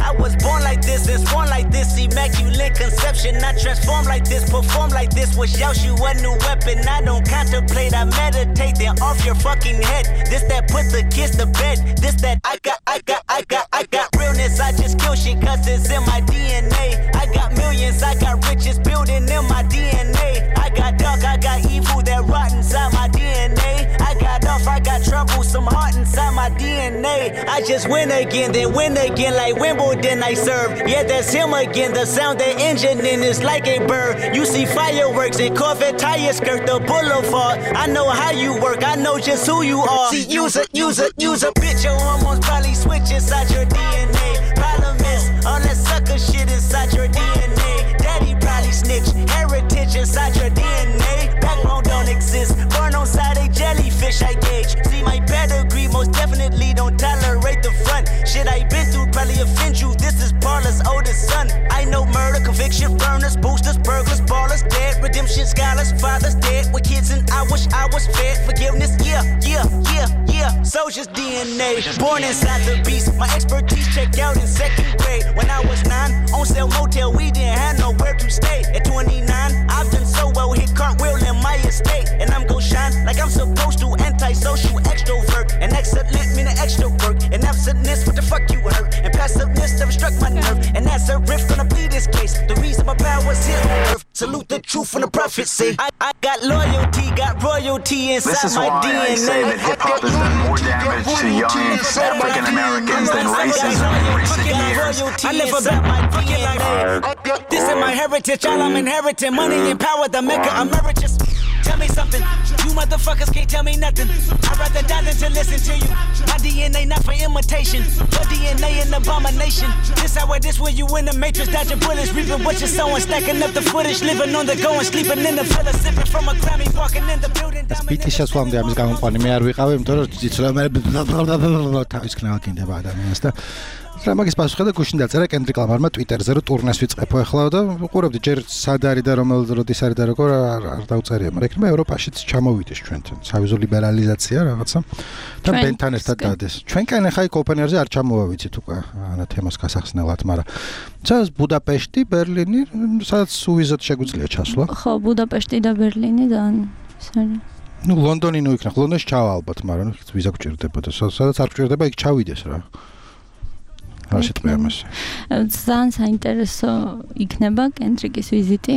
I was born like this, and born like this, immaculate conception. I transform like this, perform like this. Was Yoshi a new weapon? I don't contemplate, I meditate. Then off your fucking head. This that put the kids to bed. This that I got, I got, I got, I got realness. I just kill shit cause it's in my D N A. I got millions, I got riches building in my D N A. I got dark, I got evil that rot inside my D N A. I got off, I got trouble, some heart inside my D N A. I just win again, then win again like Wimbledon I serve. Yeah, that's him again. The sound the engine in is like a bird. You see fireworks and Corvette tires skirt the boulevard. I know how you work, I know just who you are. See, use a, use a, use a bitch. Your hormones probably switch inside your D N A. Problem is, all that sucker shit inside your D N A. Daddy probably snitch, heritage inside your D N A. Backbone don't exist, born on side a jellyfish I gauge. See my pedigree, most definitely don't tolerate the front. Shit I been through probably offend you. This is Paula's oldest son. I know murder, conviction. Conviction burners, boosters, burglars, ballers, dead. Redemption scholars, fathers dead. With kids and I wish I was fed. Forgiveness, yeah, yeah, yeah, yeah. Soldier's D N A, born inside the beast. My expertise checked out in second grade. When I was nine, on sale motel, we didn't have nowhere to stay. At twenty-nine, I've done so well, hit cartwheel in my estate. And I'm gon' shine like I'm supposed to. Antisocial extrovert, and excellent meaning extra work. And absentness, what the fuck you hurt? And passiveness never struck my nerve. And that's a riff gonna be this case. The reason my power's here on earth. Salute the truth from the prophecy. I, I got loyalty, got royalty inside
this is
my
why
D N A.
I say that hip hop has done more damage to young African Americans than racism in recent years.
I live about my D N A. This is my heritage, all I'm inheriting. Money and power, the maker emeritus. Tell me something, you motherfuckers can't tell me nothing. I'd rather die than to listen to you. My D N A not for imitation, your D N A an abomination. This how this where you in the matrix, dodging bullets, reaping what you're sowing, stacking up the footage, living on the go and sleeping in the villa, sipping from a Grammy, walking in the building.
Სპიტის შესვლამდე ამის გამოყვანი მე არ ვიყავი, იმიტომ რომ ძიცრა მე თავის ქნავა კიდევ ადამიანს და რა მაგის პასუხი და გუშინ დაწერა კენდრიკ ლამარმა ტვიტერზე რომ ტურნეს ვიწყებო ახლა და უყურებდი ჯერ სად არის და რომელ როდის არის და როგორ არ დაუწერია, მაგრამ იქნება ევროპაშიც ჩამოვიდეს ჩვენთან სავიზო ლიბერალიზაცია რაღაცა და ბენთან ერთად დადეს. ჩვენკენ ახლა იქ ოპენერზე არ ჩამოვა ვიცით უკვე ანა თემას გასახსნელად, მაგრამ ცას ბუდაპეშტი, ბერლინი, სადაც სუვიზოთ შეგვიძლია ჩასვლა.
ხო, ბუდაპეშტი და ბერლინი და
ну ლონდონი ნუ იქნა, ლონდონში ჩავა ალბათ, მაგრამ ვიზა გჭირდებოდა. სადაც არ გჭირდება, იქ ჩავიდეს რა. რა შეტყვია მას?
ძალიან საინტერესო იქნება კენდრიკის ვიზიტი.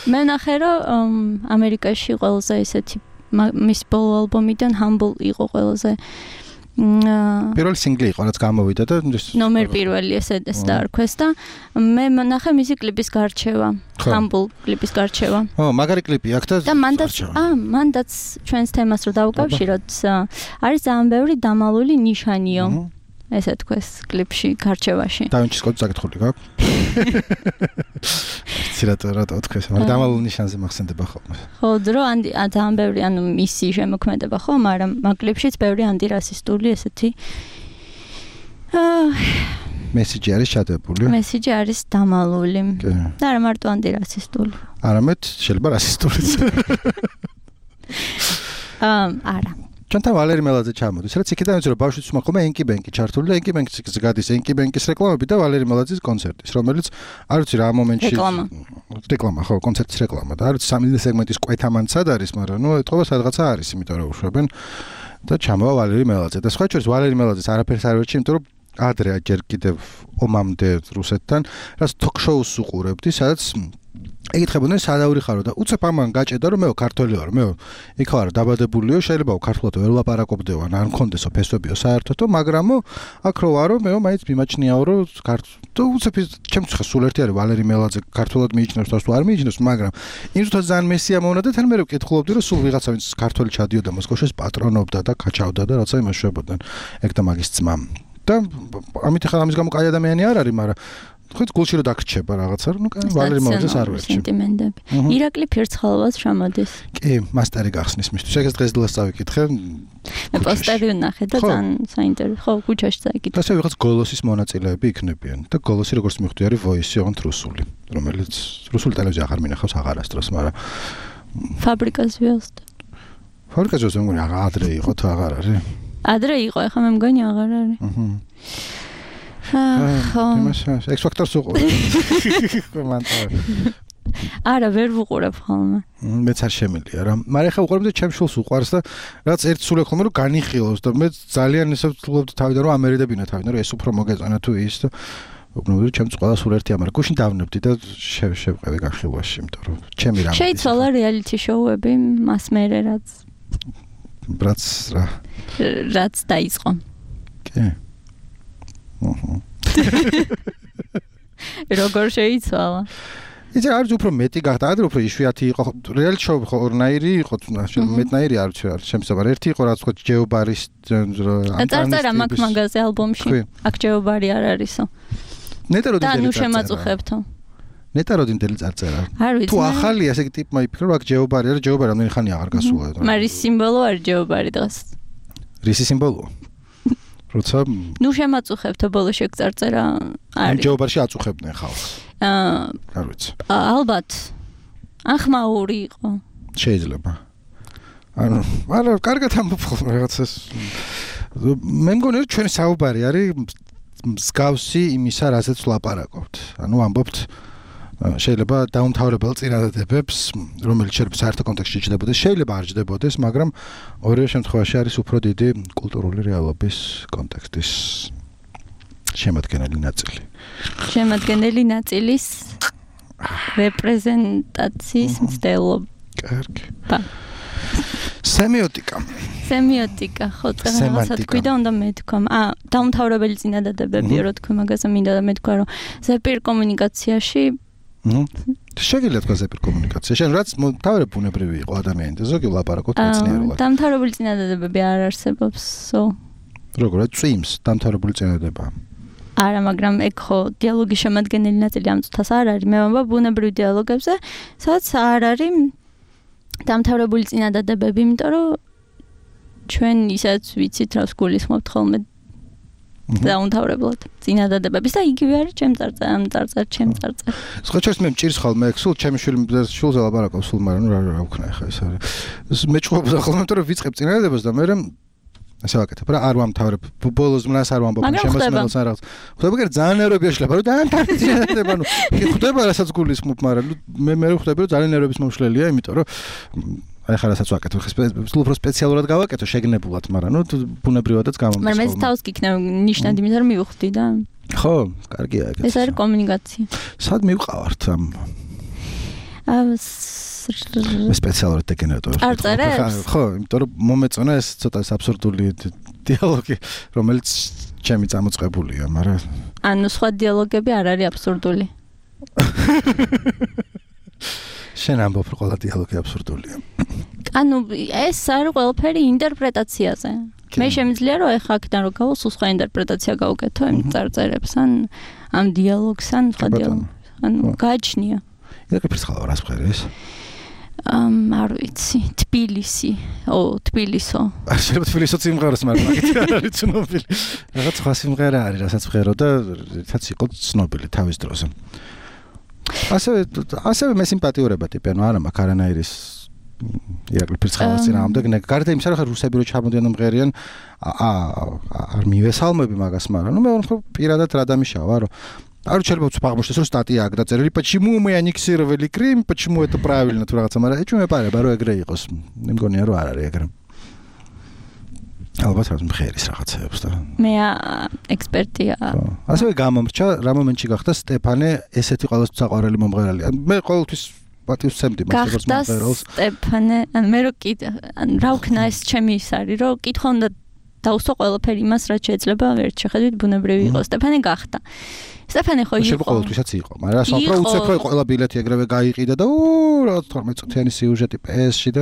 მე ნახე რომ ამერიკაში ყველაზე ისეთი მის ბოლო ალბომიდან Humble იყო ყველაზე
პირველი სინგლი იყო, რაც გამოვიდა და
ნომერ პირველი ესე დაარქვეს და მე ნახე მისი კლიპის გარჩევა, Humble კლიპის გარჩევა.
ო, მაგარი კლიპი აქვს და
და მანდაც აა მანდაც ჩვენს თემას რო დავუკავშიროთ, არის ძალიან ბევრი დამალული ნიშანიო. ესე თქვეს კლიპში გარჩევაში.
დავინჩის კოდი საკითხული გაქვს? ცირად რატო თქვეს, მაგრამ დამალულ ნიშანზე მახსენდება ხოლმე.
ხო, დრო ანდი ძალიან ბევრი ანუ მისი შემოქმედება ხო, მაგრამ მაგ კლიპშიც ბევრი ანტირასისტული ესეთი
მესიჯი არის ჩადებული.
მესიჯი არის დამალული. და არა მარტო ანტირასისტული.
არამედ შეიძლება რასისტულიც.
აა არა.
ჩვენთან ვალერი მელაძე ჩამოდის. რაც იქიდან ვიცი რომ ბავშვიც უნდა ხოლმე ენკი ბენკი ჩართული და ენკი ბენკის გადის ენკი ბენკის რეკლამები და ვალერი მელაძის კონცერტის, რომელიც არ ვიცი რა მომენტში
რეკლამა.
რეკლამა, ხო, კონცერტის რეკლამა და არ ვიცი სამი სეგმენტის კვეთამან სად არის, მაგრამ ნუ ეთქობა სადღაცა არის, იმიტომ რომ უშვებენ და ჩამოვა ვალერი მელაძე. და სხვა შორის ვალერი მელაძეს არაფერს არ ვერჩი, იმიტომ რომ ადრე ჯერ კიდევ ომამდე რუსეთთან რაც თოქ-შოუს უყურებდი, სადაც ეკითხებოდნენ სადავრი ხარო და უცებ ამან გაჭედა რომ მე ქართველი ვარ, მე იქ ვარ დაბადებულიო, შეიძლება ქართულად ვერ ვლაპარაკობდეო, არ მქონდესო ფესვებიო საერთოდო, მაგრამ აქ რო ვარო, მე მაინც მიმაჩნიაო რომ ქართო უცებ ჩემთვის ხა სულ ერთი არის ვალერი მელაძე ქართულად მიიჩნევს და თუ არ მიიჩნევს, მაგრამ იმ თვითონ ძალიან მესია მოუნა და თან მე ვკითხულობდი რომ სულ ვიღაცა ვინც ქართველი ჩადიოდა მოსკოვში პატრონობდა და კაჩავდა და რაცა იმაშუებოდნენ ეგ და მაგის ძმა. და ამით ხა ამის გამო კაი ადამიანი არ არის, მაგრამ ხეთ გულში რო დაგრჩება რაღაცა, ნუ კაი ვალერი მელაძეს არ ვერჩი.
სენტიმენტები. ირაკლი ფირცხალოვას ჩამოდის.
კი, მასტერი გახსნის მისთვის. ეგეც დღეს დილას წავიკითხე.
მე პოსტერი ვნახე და ძალიან საინტერესო. ხო, ქუჩაში წაიკითხე.
ასე ვიღაც გოლოსის მონაწილეები იქნებიან და გოლოსი როგორც მივხვდი არის ვოისი ოღონდ რუსული, რომელიც რუსული ტელევიზია აღარ მინახავს აღარასდროს, მაგრამ
ფაბრიკას ვიოსტ.
ფაბრიკას ვიოსტ მგონი ადრე იყო თუ აღარ არის?
ადრე იყო, ეხლა მე მგონი აღარ არის. აჰა.
ხო. ექს ფაქტორს უყურებ. კომენტარი.
არა, ვერ ვუყურებ ხოლმე.
მეც არ შემილია რა. მაგრამ ეხლა უყურებ და ჩემ შულს უყვარს და რაც ერთ სულ ეხლა რომ განიხილოს და მე ძალიან ისე ვთვლობდი თავიდან რომ ამერიდებინა თავიდან რომ ეს უფრო მოგეწონა თუ ის და უბრალოდ ჩემს ყველა სულ ერთია, მაგრამ გუშინ დავნებდი და შევყევი განხილვაში, იმიტომ რომ ჩემი რამე.
შეიცვალა რეალიტი შოუები მას მერე რაც
ბრაც რა.
რაც დაიწყო.
კი. აჰა.
როგორ შეიცვალა?
იცი არის უფრო მეტი გახდა, ადრე უფრო იშვიათი იყო, რეალიტი შოუ ხო ორნაირი იყო, მეტნაირი არ ვიცი, არ შემსაბარ. ერთი იყო რაც ხო ჯეობარის
ანტარქტიკა მაგ მაგაზე ალბომში. აქ ჯეობარი არ არისო.
ნეტა როდი
და ნუ შემაწუხებთო.
ნეტა როდი მდელი წარწერა.
არ ვიცი.
თუ ახალია ესე იგი ტიპმა იფიქრა რომ აქ ჯეობარი არის, ჯეობარი რამდენი ხანი აღარ გასულა.
მაგრამ ის სიმბოლო არის ჯეობარი დღეს.
რისი სიმბოლოა? როცა
ნუ შემაწუხებთ ბოლო შეგწარწერა არის.
ამჯობარში აწუხებდნენ ხალხს.
აა
არ ვიცი.
ალბათ ახმაური იყო.
შეიძლება. ანუ არა, კარგად ამბობ რაღაცას. მე მგონი რომ ჩვენი საუბარი არის მსგავსი იმისა, რაზეც ვლაპარაკობთ. ანუ ამბობთ შეიძლება დაუმთავრებელ წინადადებებს, რომელიც შეიძლება საერთო კონტექსტში ჩნდებოდეს, შეიძლება არ ჩნდებოდეს, მაგრამ ორივე შემთხვევაში არის უფრო დიდი კულტურული რეალობის კონტექსტის შემადგენელი ნაწილი.
შემადგენელი ნაწილის რეპრეზენტაციის მცდელობა.
კარგი. სემიოტიკა.
სემიოტიკა, ხო, რაღაცა თქვი და უნდა მეთქვა. აა, დაუმთავრებელი წინადადებები, რო თქვი მაგაზე მინდა და მეთქვა, რომ ზეპირ კომუნიკაციაში
ნუ შეგიძლიათ თქვა ზეპირ კომუნიკაცია. შენ რაც თავრე ბუნებრივი იყო ადამიანი და ზოგი ვლაპარაკობთ მეცნიერულად.
დაუმთავრებული წინადადებები არ არსებობს.
როგორ წვიმს დაუმთავრებული წინადადება?
არა, მაგრამ ეგ ხო დიალოგის შემადგენელი ნაწილი ამ წუთას არ არის. მე ვამბობ ბუნებრივ დიალოგებზე, სადაც არ არის დამთავრებული წინადადებები, იმიტომ რომ ჩვენ ისაც ვიცით რა გულისხმობთ ხოლმე დაუმთავრებლად წინადადებების და იგივე არის ჩემ წარწერ, ამ წარწერ, ჩემ წარწერ.
სხვაჩერს მე მჭირს ხოლმე ეგ სულ ჩემი შვილი შულზე ლაპარაკობს სულ, მაგრამ რა რა ვქნა ახლა ეს არის. მე ჭუხობ ხოლმე, იმიტომ რომ ვიწყებ წინადადებას და მე ასე ვაკეთებ რა, არ ვამთავრებ. ბოლოს მნას არ ვამბობ შემოსმენელს ან რაღაც. ხდება კი ძალიან ნერვებია შეიძლება, რომ დაანთარი წინადადება, ნუ ხდება რასაც გულისხმობ, მაგრამ მე მე ვხვდები რომ ძალიან ნერვების მომშლელია, იმიტომ რომ აი ხა რასაც ვაკეთებ, ხე უფრო სპეციალურად გავაკეთო შეგნებულად, მაგრამ ნუ ბუნებრივადაც გამომდის.
მაგრამ ეს თავს გიქნა ნიშნად, იმიტომ რომ მივხვდი და
ხო, კარგია ეგეც.
ეს არის კომუნიკაცია.
სად მივყავართ ამ მე სპეციალურად დეგენერატორებს
არ წერებს?
ხო, იმიტომ რომ მომეწონა ეს ცოტა აბსურდული დიალოგი, რომელიც ჩემი წამოწყებულია, მაგრამ
ანუ სხვა დიალოგები არ არის აბსურდული.
შენ ამბობ რომ ყველა დიალოგი აბსურდულია.
ანუ ეს არის ყველაფერი ინტერპრეტაციაზე. მე შემიძლია რომ ეხა აქედან რო გავო სულ სხვა ინტერპრეტაცია გავუკეთო იმ წარწერებს ან ამ დიალოგს ან სხვა დიალოგს. ანუ გააჩნია.
ირაკლი ხალხო რას ხერის?
ამ არ ვიცი, თბილისი, ო, თბილისო.
არ შეიძლება თბილისოც იმღეროს, მაგრამ მაგით არ არის ცნობილი. რაღაც სხვა სიმღერა არის, რასაც ვღერო და ერთად იყო ცნობილი თავის დროზე. ასევე ასევე მე სიმპათიურება ტიპი, ანუ არა მაქვს არანაირის ირაკლი ფირცხალას წინააღმდეგ, გარდა იმისა, რომ ხა რუსები რო ჩამოდიან მღერიან, აა არ მივესალმები მაგას, მაგრამ ნუ მე ვარ პირადად რა დამიშავა, რომ არ შეიძლება ვცბაღმოშდეს რომ სტატია აქ დაწერილი, почему мы аннексировали Крым, почему это правильно თუ რაღაცა, მაგრამ ეჭვმე პარება რომ ეგრე იყოს. მე მგონია რომ არ არის ეგრე. ალბათ რა მღერის რაღაცეებს და
მე ექსპერტია.
ასევე გამომრჩა რა მომენტში გახდა სტეფანე ესეთი ყოველთვის საყვარელი მომღერალი. მე ყოველთვის პატივს ვცემდი მას როგორც მომღერალს. სტეფანე,
ან მე რო კი ან რა ვქნა ეს ჩემი ის არის, რომ კითხვა უნდა დაუსვა ყველაფერი იმას, რაც შეიძლება ერთ შეხედვით ბუნებრივი იყოს. სტეფანე გახდა. სტეფანე ხო იყო.
შეიძლება ყოველთვისაც იყო, მაგრამ სოფრო უცებ რო ყველა ბილეთი ეგრევე გაიყიდა და უ რა თორმეტ წუთიანი სიუჟეტი პე-ში და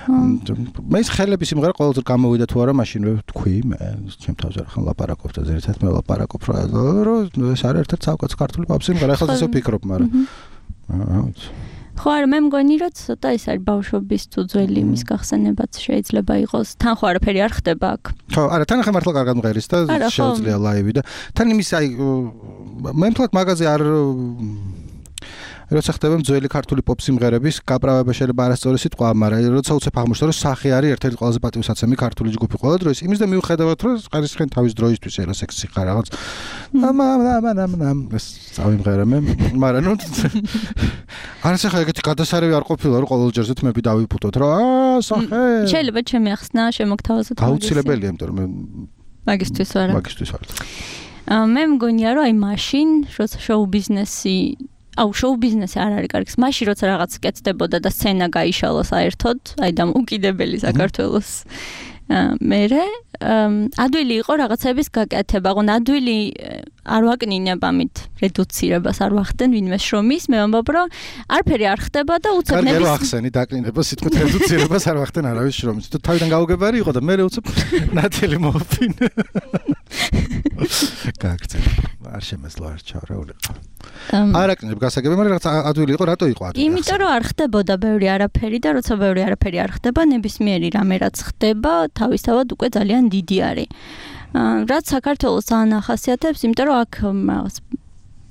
მე ის ხელების იმღერა ყოველთვის გამოვიდა თუ არა, მაშინვე თქვი მე ჩემ თავზე რა ხან ლაპარაკობ და ზერთად მე ლაპარაკობ რა რომ ეს არის ერთ-ერთი საუკეთესო ქართული პოპსი იმღერა, ახლა ისე ვფიქრობ, მაგრამ ხო
არ მე მგონი რომ ცოტა ის არის ბავშვობის თუ ძველი იმის გახსენებაც შეიძლება იყოს. თან ხო არაფერი არ ხდება აქ.
ხო, არა, თან ახლა მართლა კარგად მღერის და შეუძლია ლაივი და თან იმის აი მე მთლად მაგაზე არ როცა ხდება ძველი ქართული პოპ სიმღერების გაправება შეიძლება არასწორი სიტყვა, მაგრამ როცა უცებ აღმოჩნდა რომ სახე არის ერთ-ერთი ყველაზე პატივსაცემი ქართული ჯგუფი ყველა დროს, იმის და მიუხედავად რომ ყარისხენ თავის დროისთვის ერა სექსი ხარ რაღაც ამამამამამამ ეს წავიმღერე მე, მაგრამ ნუ არც ახლა ეგეთი გადასარევი არ ყოფილა რომ ყოველ ჯერზე თმები დავიპუტოთ რა აა სახე
შეიძლება ჩემი ახსნა შემოგთავაზოთ
მაგის აუცილებელია, იმიტომ რომ მე
მაგისთვის ვარ
მაგისთვის ვარ
მე მგონია რომ აი მაშინ როცა შოუ ბიზნესი აუ შოუ ბიზნესი არ არის კარგი. მაშინ როცა რაღაც კეთდებოდა და სცენა გაიშალა საერთოდ, აი და უკიდებელი საქართველოს. მერე ადვილი იყო რაღაცების გაკეთება, ხო ადვილი არ ვაკნინებ ამით რედუცირებას არ ვახდენ ვინმე შრომის, მე ვამბობ რომ არაფერი არ ხდება და უცებ
ნების კარგი ახსენი დაკნინება სიტყვით რედუცირებას არ ვახდენ არავის შრომის. თუ თავიდან გაუგებარი იყო და მე უცებ ნათელი მოვფინე. გაგწევ არ შემეძლო არ ჩავრეულიყო. არაკნებ გასაგები, მაგრამ რაღაც ადვილი იყო, რატო იყო ადვილი?
იმიტომ რომ არ ხდებოდა ბევრი არაფერი და როცა ბევრი არაფერი არ ხდება, ნებისმიერი რამე რაც ხდება, თავისთავად უკვე ძალიან დიდი არის. რაც საქართველოს ძალიან ახასიათებს, იმიტომ რომ აქ რაღაც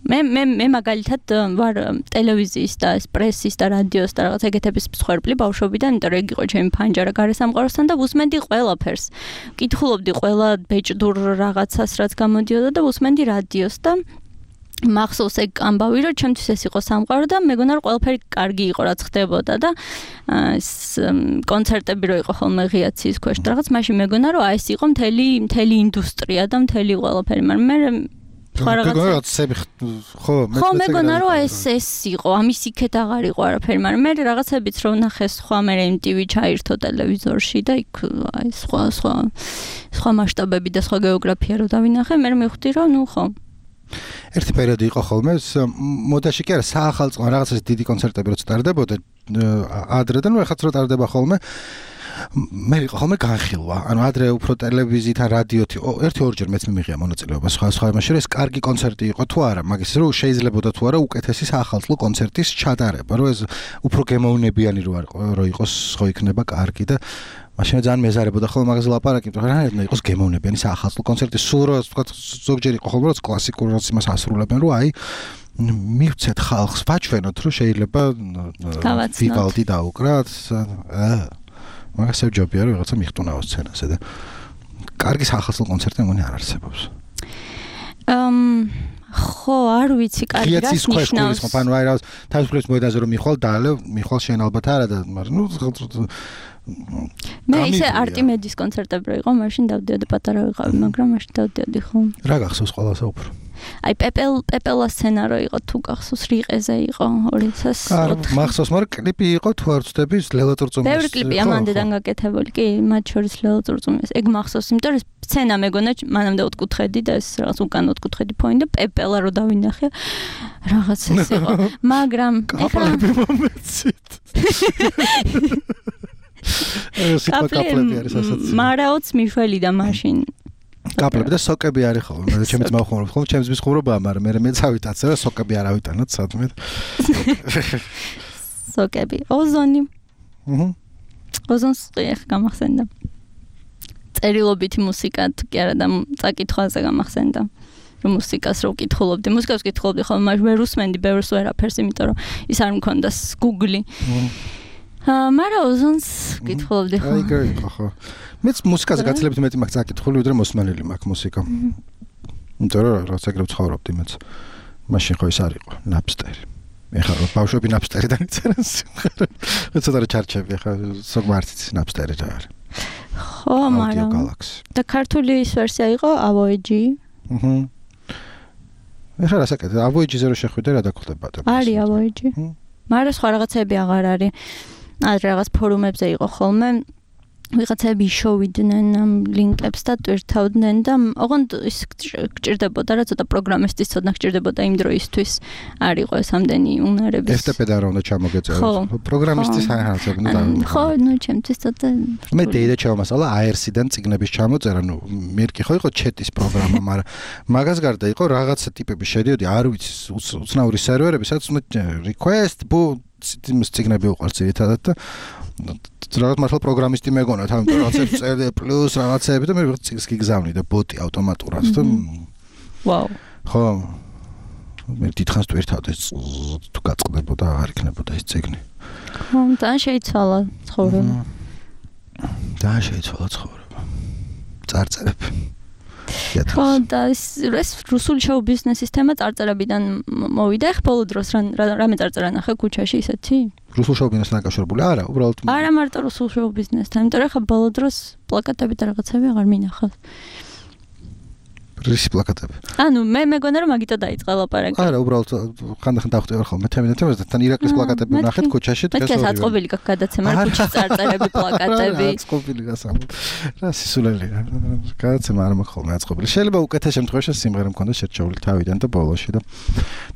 მე მე მე მაგალითად ვარ ტელევიზიის და პრესის და რადიოს და რაღაც ეგეთების მსხვერპლი ბავშვობიდან, იმიტომ რომ ეგ იყო ჩემი ფანჯარა გარესამყაროსთან და ვუსმენდი ყველაფერს. ვკითხულობდი ყველა ბეჭდურ რაღაცას, რაც გამოდიოდა და ვუსმენდი რადიოს და მახსოვს ეგ ამბავი, რომ ჩემთვის ეს იყო სამყარო და მეგონა რომ ყველაფერი კარგი იყო, რაც ხდებოდა და ეს კონცერტები რო იყო ხოლმე ღიაცის ქვეშ და რაღაც მაშინ მეგონა რომ აი ეს იყო მთელი მთელი ინდუსტრია და მთელი ყველაფერი, მაგრამ მე
ხო რაღაცები ხო
მე ხო მეგონა რომ ეს ეს იყო, ამის იქეთ აღარ იყო არაფერი, მაგრამ მე რაღაცებიც რო ნახე სხვა მე ემ ტი ვი ჩაირთო ტელევიზორში და იქ აი სხვა სხვა სხვა მასშტაბები და სხვა გეოგრაფია რო დავინახე, მე მივხვდი რომ ნუ ხო
ერთი პერიოდი იყო ხოლმე მოდაში კი არა საახალწლო რაღაცას დიდი კონცერტები რო წარდებოდა ადრე და ნუ ეხაც რო ტარდება ხოლმე მე იყო ხოლმე განხილვა ანუ ადრე უფრო ტელევიზიით ან რადიოთი ერთი ორჯერ მეც მიმიღია მონაწილეობა სხვა სხვა იმაში რომ ეს კარგი კონცერტი იყო თუ არა მაგის რომ შეიძლებოდა თუ არა უკეთესი საახალწლო კონცერტის ჩატარება რომ ეს უფრო გემოვნებიანი რო იყოს ხო იქნება კარგი და მაშინ ძალიან მეზარებოდა ხოლმე მაგაზე ლაპარაკი, მაგრამ რა იყოს გემოვნებიანი საახალწლო კონცერტი, სულ რა თქვა ზოგჯერ იყო ხოლმე რომ კლასიკურ რას იმას ასრულებენ, რომ აი მივცეთ ხალხს, ვაჩვენოთ, რომ შეიძლება ვივალდი დაუკრათ, მაგას ეჯობია რომ რაღაცა მიხტუნაო სცენაზე და კარგი საახალწლო კონცერტი მგონი არ არსებობს.
ამ ხო, არ ვიცი, კარგი რას ნიშნავს.
ანუ აი რა თავისუფლების მოედანზე რომ მიხვალ დაალე, მიხვალ შენ ალბათ არა და მაგრამ ნუ
მე ისე არტიმედის კონცერტები რო იყო, მაშინ დავდიოდი პატარა ვიყავი, მაგრამ მაშინ დავდიოდი ხო.
რა გახსოვს ყველასა უფრო?
აი პეპელ პეპელა სცენა რო იყო, თუ გახსოვს რიყეზე იყო ორი ათას ოთხი.
მახსოვს, მაგრამ კლიპი იყო თუ არ ვწდები ლელა ტრუწუმის.
ბევრი კლიპი ამანდედან გაკეთებული, კი, მათ შორის ლელა ტრუწუმის. ეგ მახსოვს, იმიტომ რომ სცენა მეგონა მანამდე ოთხკუთხედი და ეს რაღაც უკან ოთხკუთხედი ფონი და პეპელა რო დავინახე, რაღაც ეს იყო. მაგრამ
კაპლები მომეცით.
კაპლები არის ასაცი. მარაოც მიშველი და მაშინ
კაპლები და სოკები არის ხოლმე. მე ჩემს მახუმრობ ხოლმე, ჩემს მისხუმრობაა, მაგრამ მე მე წავიტაცე და სოკები არ ავიტანოთ სადმე.
სოკები. ოზონი.
აჰა.
ოზონს ხეხ გამახსენდა. წერილობითი მუსიკა თუ კი არა და წაკითხვაზე გამახსენდა. რომ მუსიკას რო ვკითხულობდი, მუსიკას ვკითხულობდი ხოლმე, მაგრამ ვერ უსმენდი ბევრს ვერაფერს, იმიტომ რომ ის არ მქონდა Google-ი. აა, მაგრამ ოზონს ვკითხულობდი ხოლმე.
აი, გეიქო ხო. მეც მუსიკაზე გაცილებით მეტი მაქვს წაკითხული, ვიდრე მოსმენელი მაქვს მუსიკა. იმიტომ რომ რაც ეგრევე ცხოვრობდი მეც. მაშინ ხო ის არ იყო, Napster. ეხლა ბავშვები Napster-დან იწერენ სიმღერა. ცოტა რა ჩარჩები, ეხლა სოგმარტიც Napster-ი რა არის.
ხო, მაგრამ და ქართული ის ვერსია იყო Avoid-ი.
აჰა. ეხლა რასაკეთე, Avoid-ზე რო შეხვიდე რა დაგხვდება?
არის Avoid-ი. მაგრამ სხვა რაღაცები აღარ არის. ადრე რაღაც ფორუმებზე იყო ხოლმე ვიღაცები შოვიდნენ ამ ლინკებს და ტვირთავდნენ და ოღონდ ის გჭირდებოდა რა ცოტა პროგრამისტის ცოდნა გჭირდებოდა იმ დროისთვის არ იყო ეს ამდენი უნარების
ეს ტიპი და რა უნდა ჩამოგეწეროს პროგრამისტის საერთოდ უნდა
ხო ნუ ჩემთვის ცოტა
მე დეიდა ჩავმასალა აი არ სი-დან წიგნების ჩამოწერა ნუ მერკი ხო იყო ჩეტის პროგრამა მაგრამ მაგას გარდა იყო რაღაცა ტიპები შედიოდი არ ვიცი უცნაური სერვერები სადაც უნდა request bu წიგნები უყარს ერთადად და რაღაც მართლა პროგრამისტი მეგონა თავი რაღაცებს წერდა პლუს რაღაცები და მე წიგს გიგზავნი და ბოტი ავტომატურად და
ვაუ
ხო მე დიდხანს ტვირთავდი თუ გაწყდებოდა აღარ იქნებოდა ეს წიგნი
ხო და შეიცვალა ცხოვრება
და შეიცვალა ცხოვრება წარწერები
ხო და ეს რუსული შოუ ბიზნესის თემა წარწერებიდან მოვიდა ხ ბოლო დროს რამე წარწერა ნახე ქუჩაში ისეთი
რუსულ შოუ ბიზნესთან დაკავშირებული არა უბრალოდ
არა მარტო რუსულ შოუ ბიზნესთან იმიტომ რომ ხა ბოლო დროს პლაკატები და რაღაცები აღარ მინახავს
რისი პლაკატები
ანუ მე მეგონა რომ მაგიტო დაიწყა ლაპარაკი
არა უბრალოდ ხანდახან დავხვდები ხოლმე თემი და თემასთან თან ირაკლის პლაკატები ვნახეთ ქუჩაში
დღეს ორივე მე აწყობილი გაქვს გადაცემა ქუჩის წარწერები პლაკატები
აწყობილი გასამ რა სისულელი გადაცემა არ მაქვს ხოლმე აწყობილი შეიძლება უკეთეს შემთხვევაში სიმღერა მქონდა შერჩეული თავიდან და ბოლოში და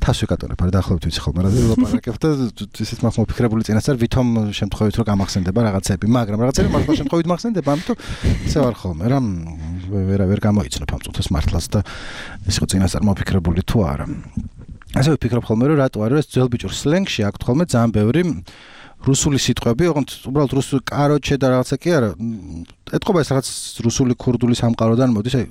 თავს ვიკატორებ არა დაახლოებით ვიცი ხოლმე რა ლაპარაკებ და ისეთ მაქვს მოფიქრებული წინასწარ ვითომ შემთხვევით რომ გამახსენდება რაღაცები მაგრამ რაღაცები მართლა შემთხვევით მახსენდება ამიტომ ისე ვარ ხოლმე რა ვერ ვერ გამოიცნობ ამ წუთას მართლაც და ეს იყო წინასწარ მოფიქრებული თუ არა ასე ვფიქრობ ხოლმე რომ რატო არის ეს ძველ ბიჭურ სლენგში აქვს ხოლმე ძალიან ბევრი რუსული სიტყვები, ოღონდ უბრალოდ რუსული კაროჩე და რაღაცა კი არა. ეთყობა ეს რაღაც რუსული ქურდული სამყაროდან მოდის. აი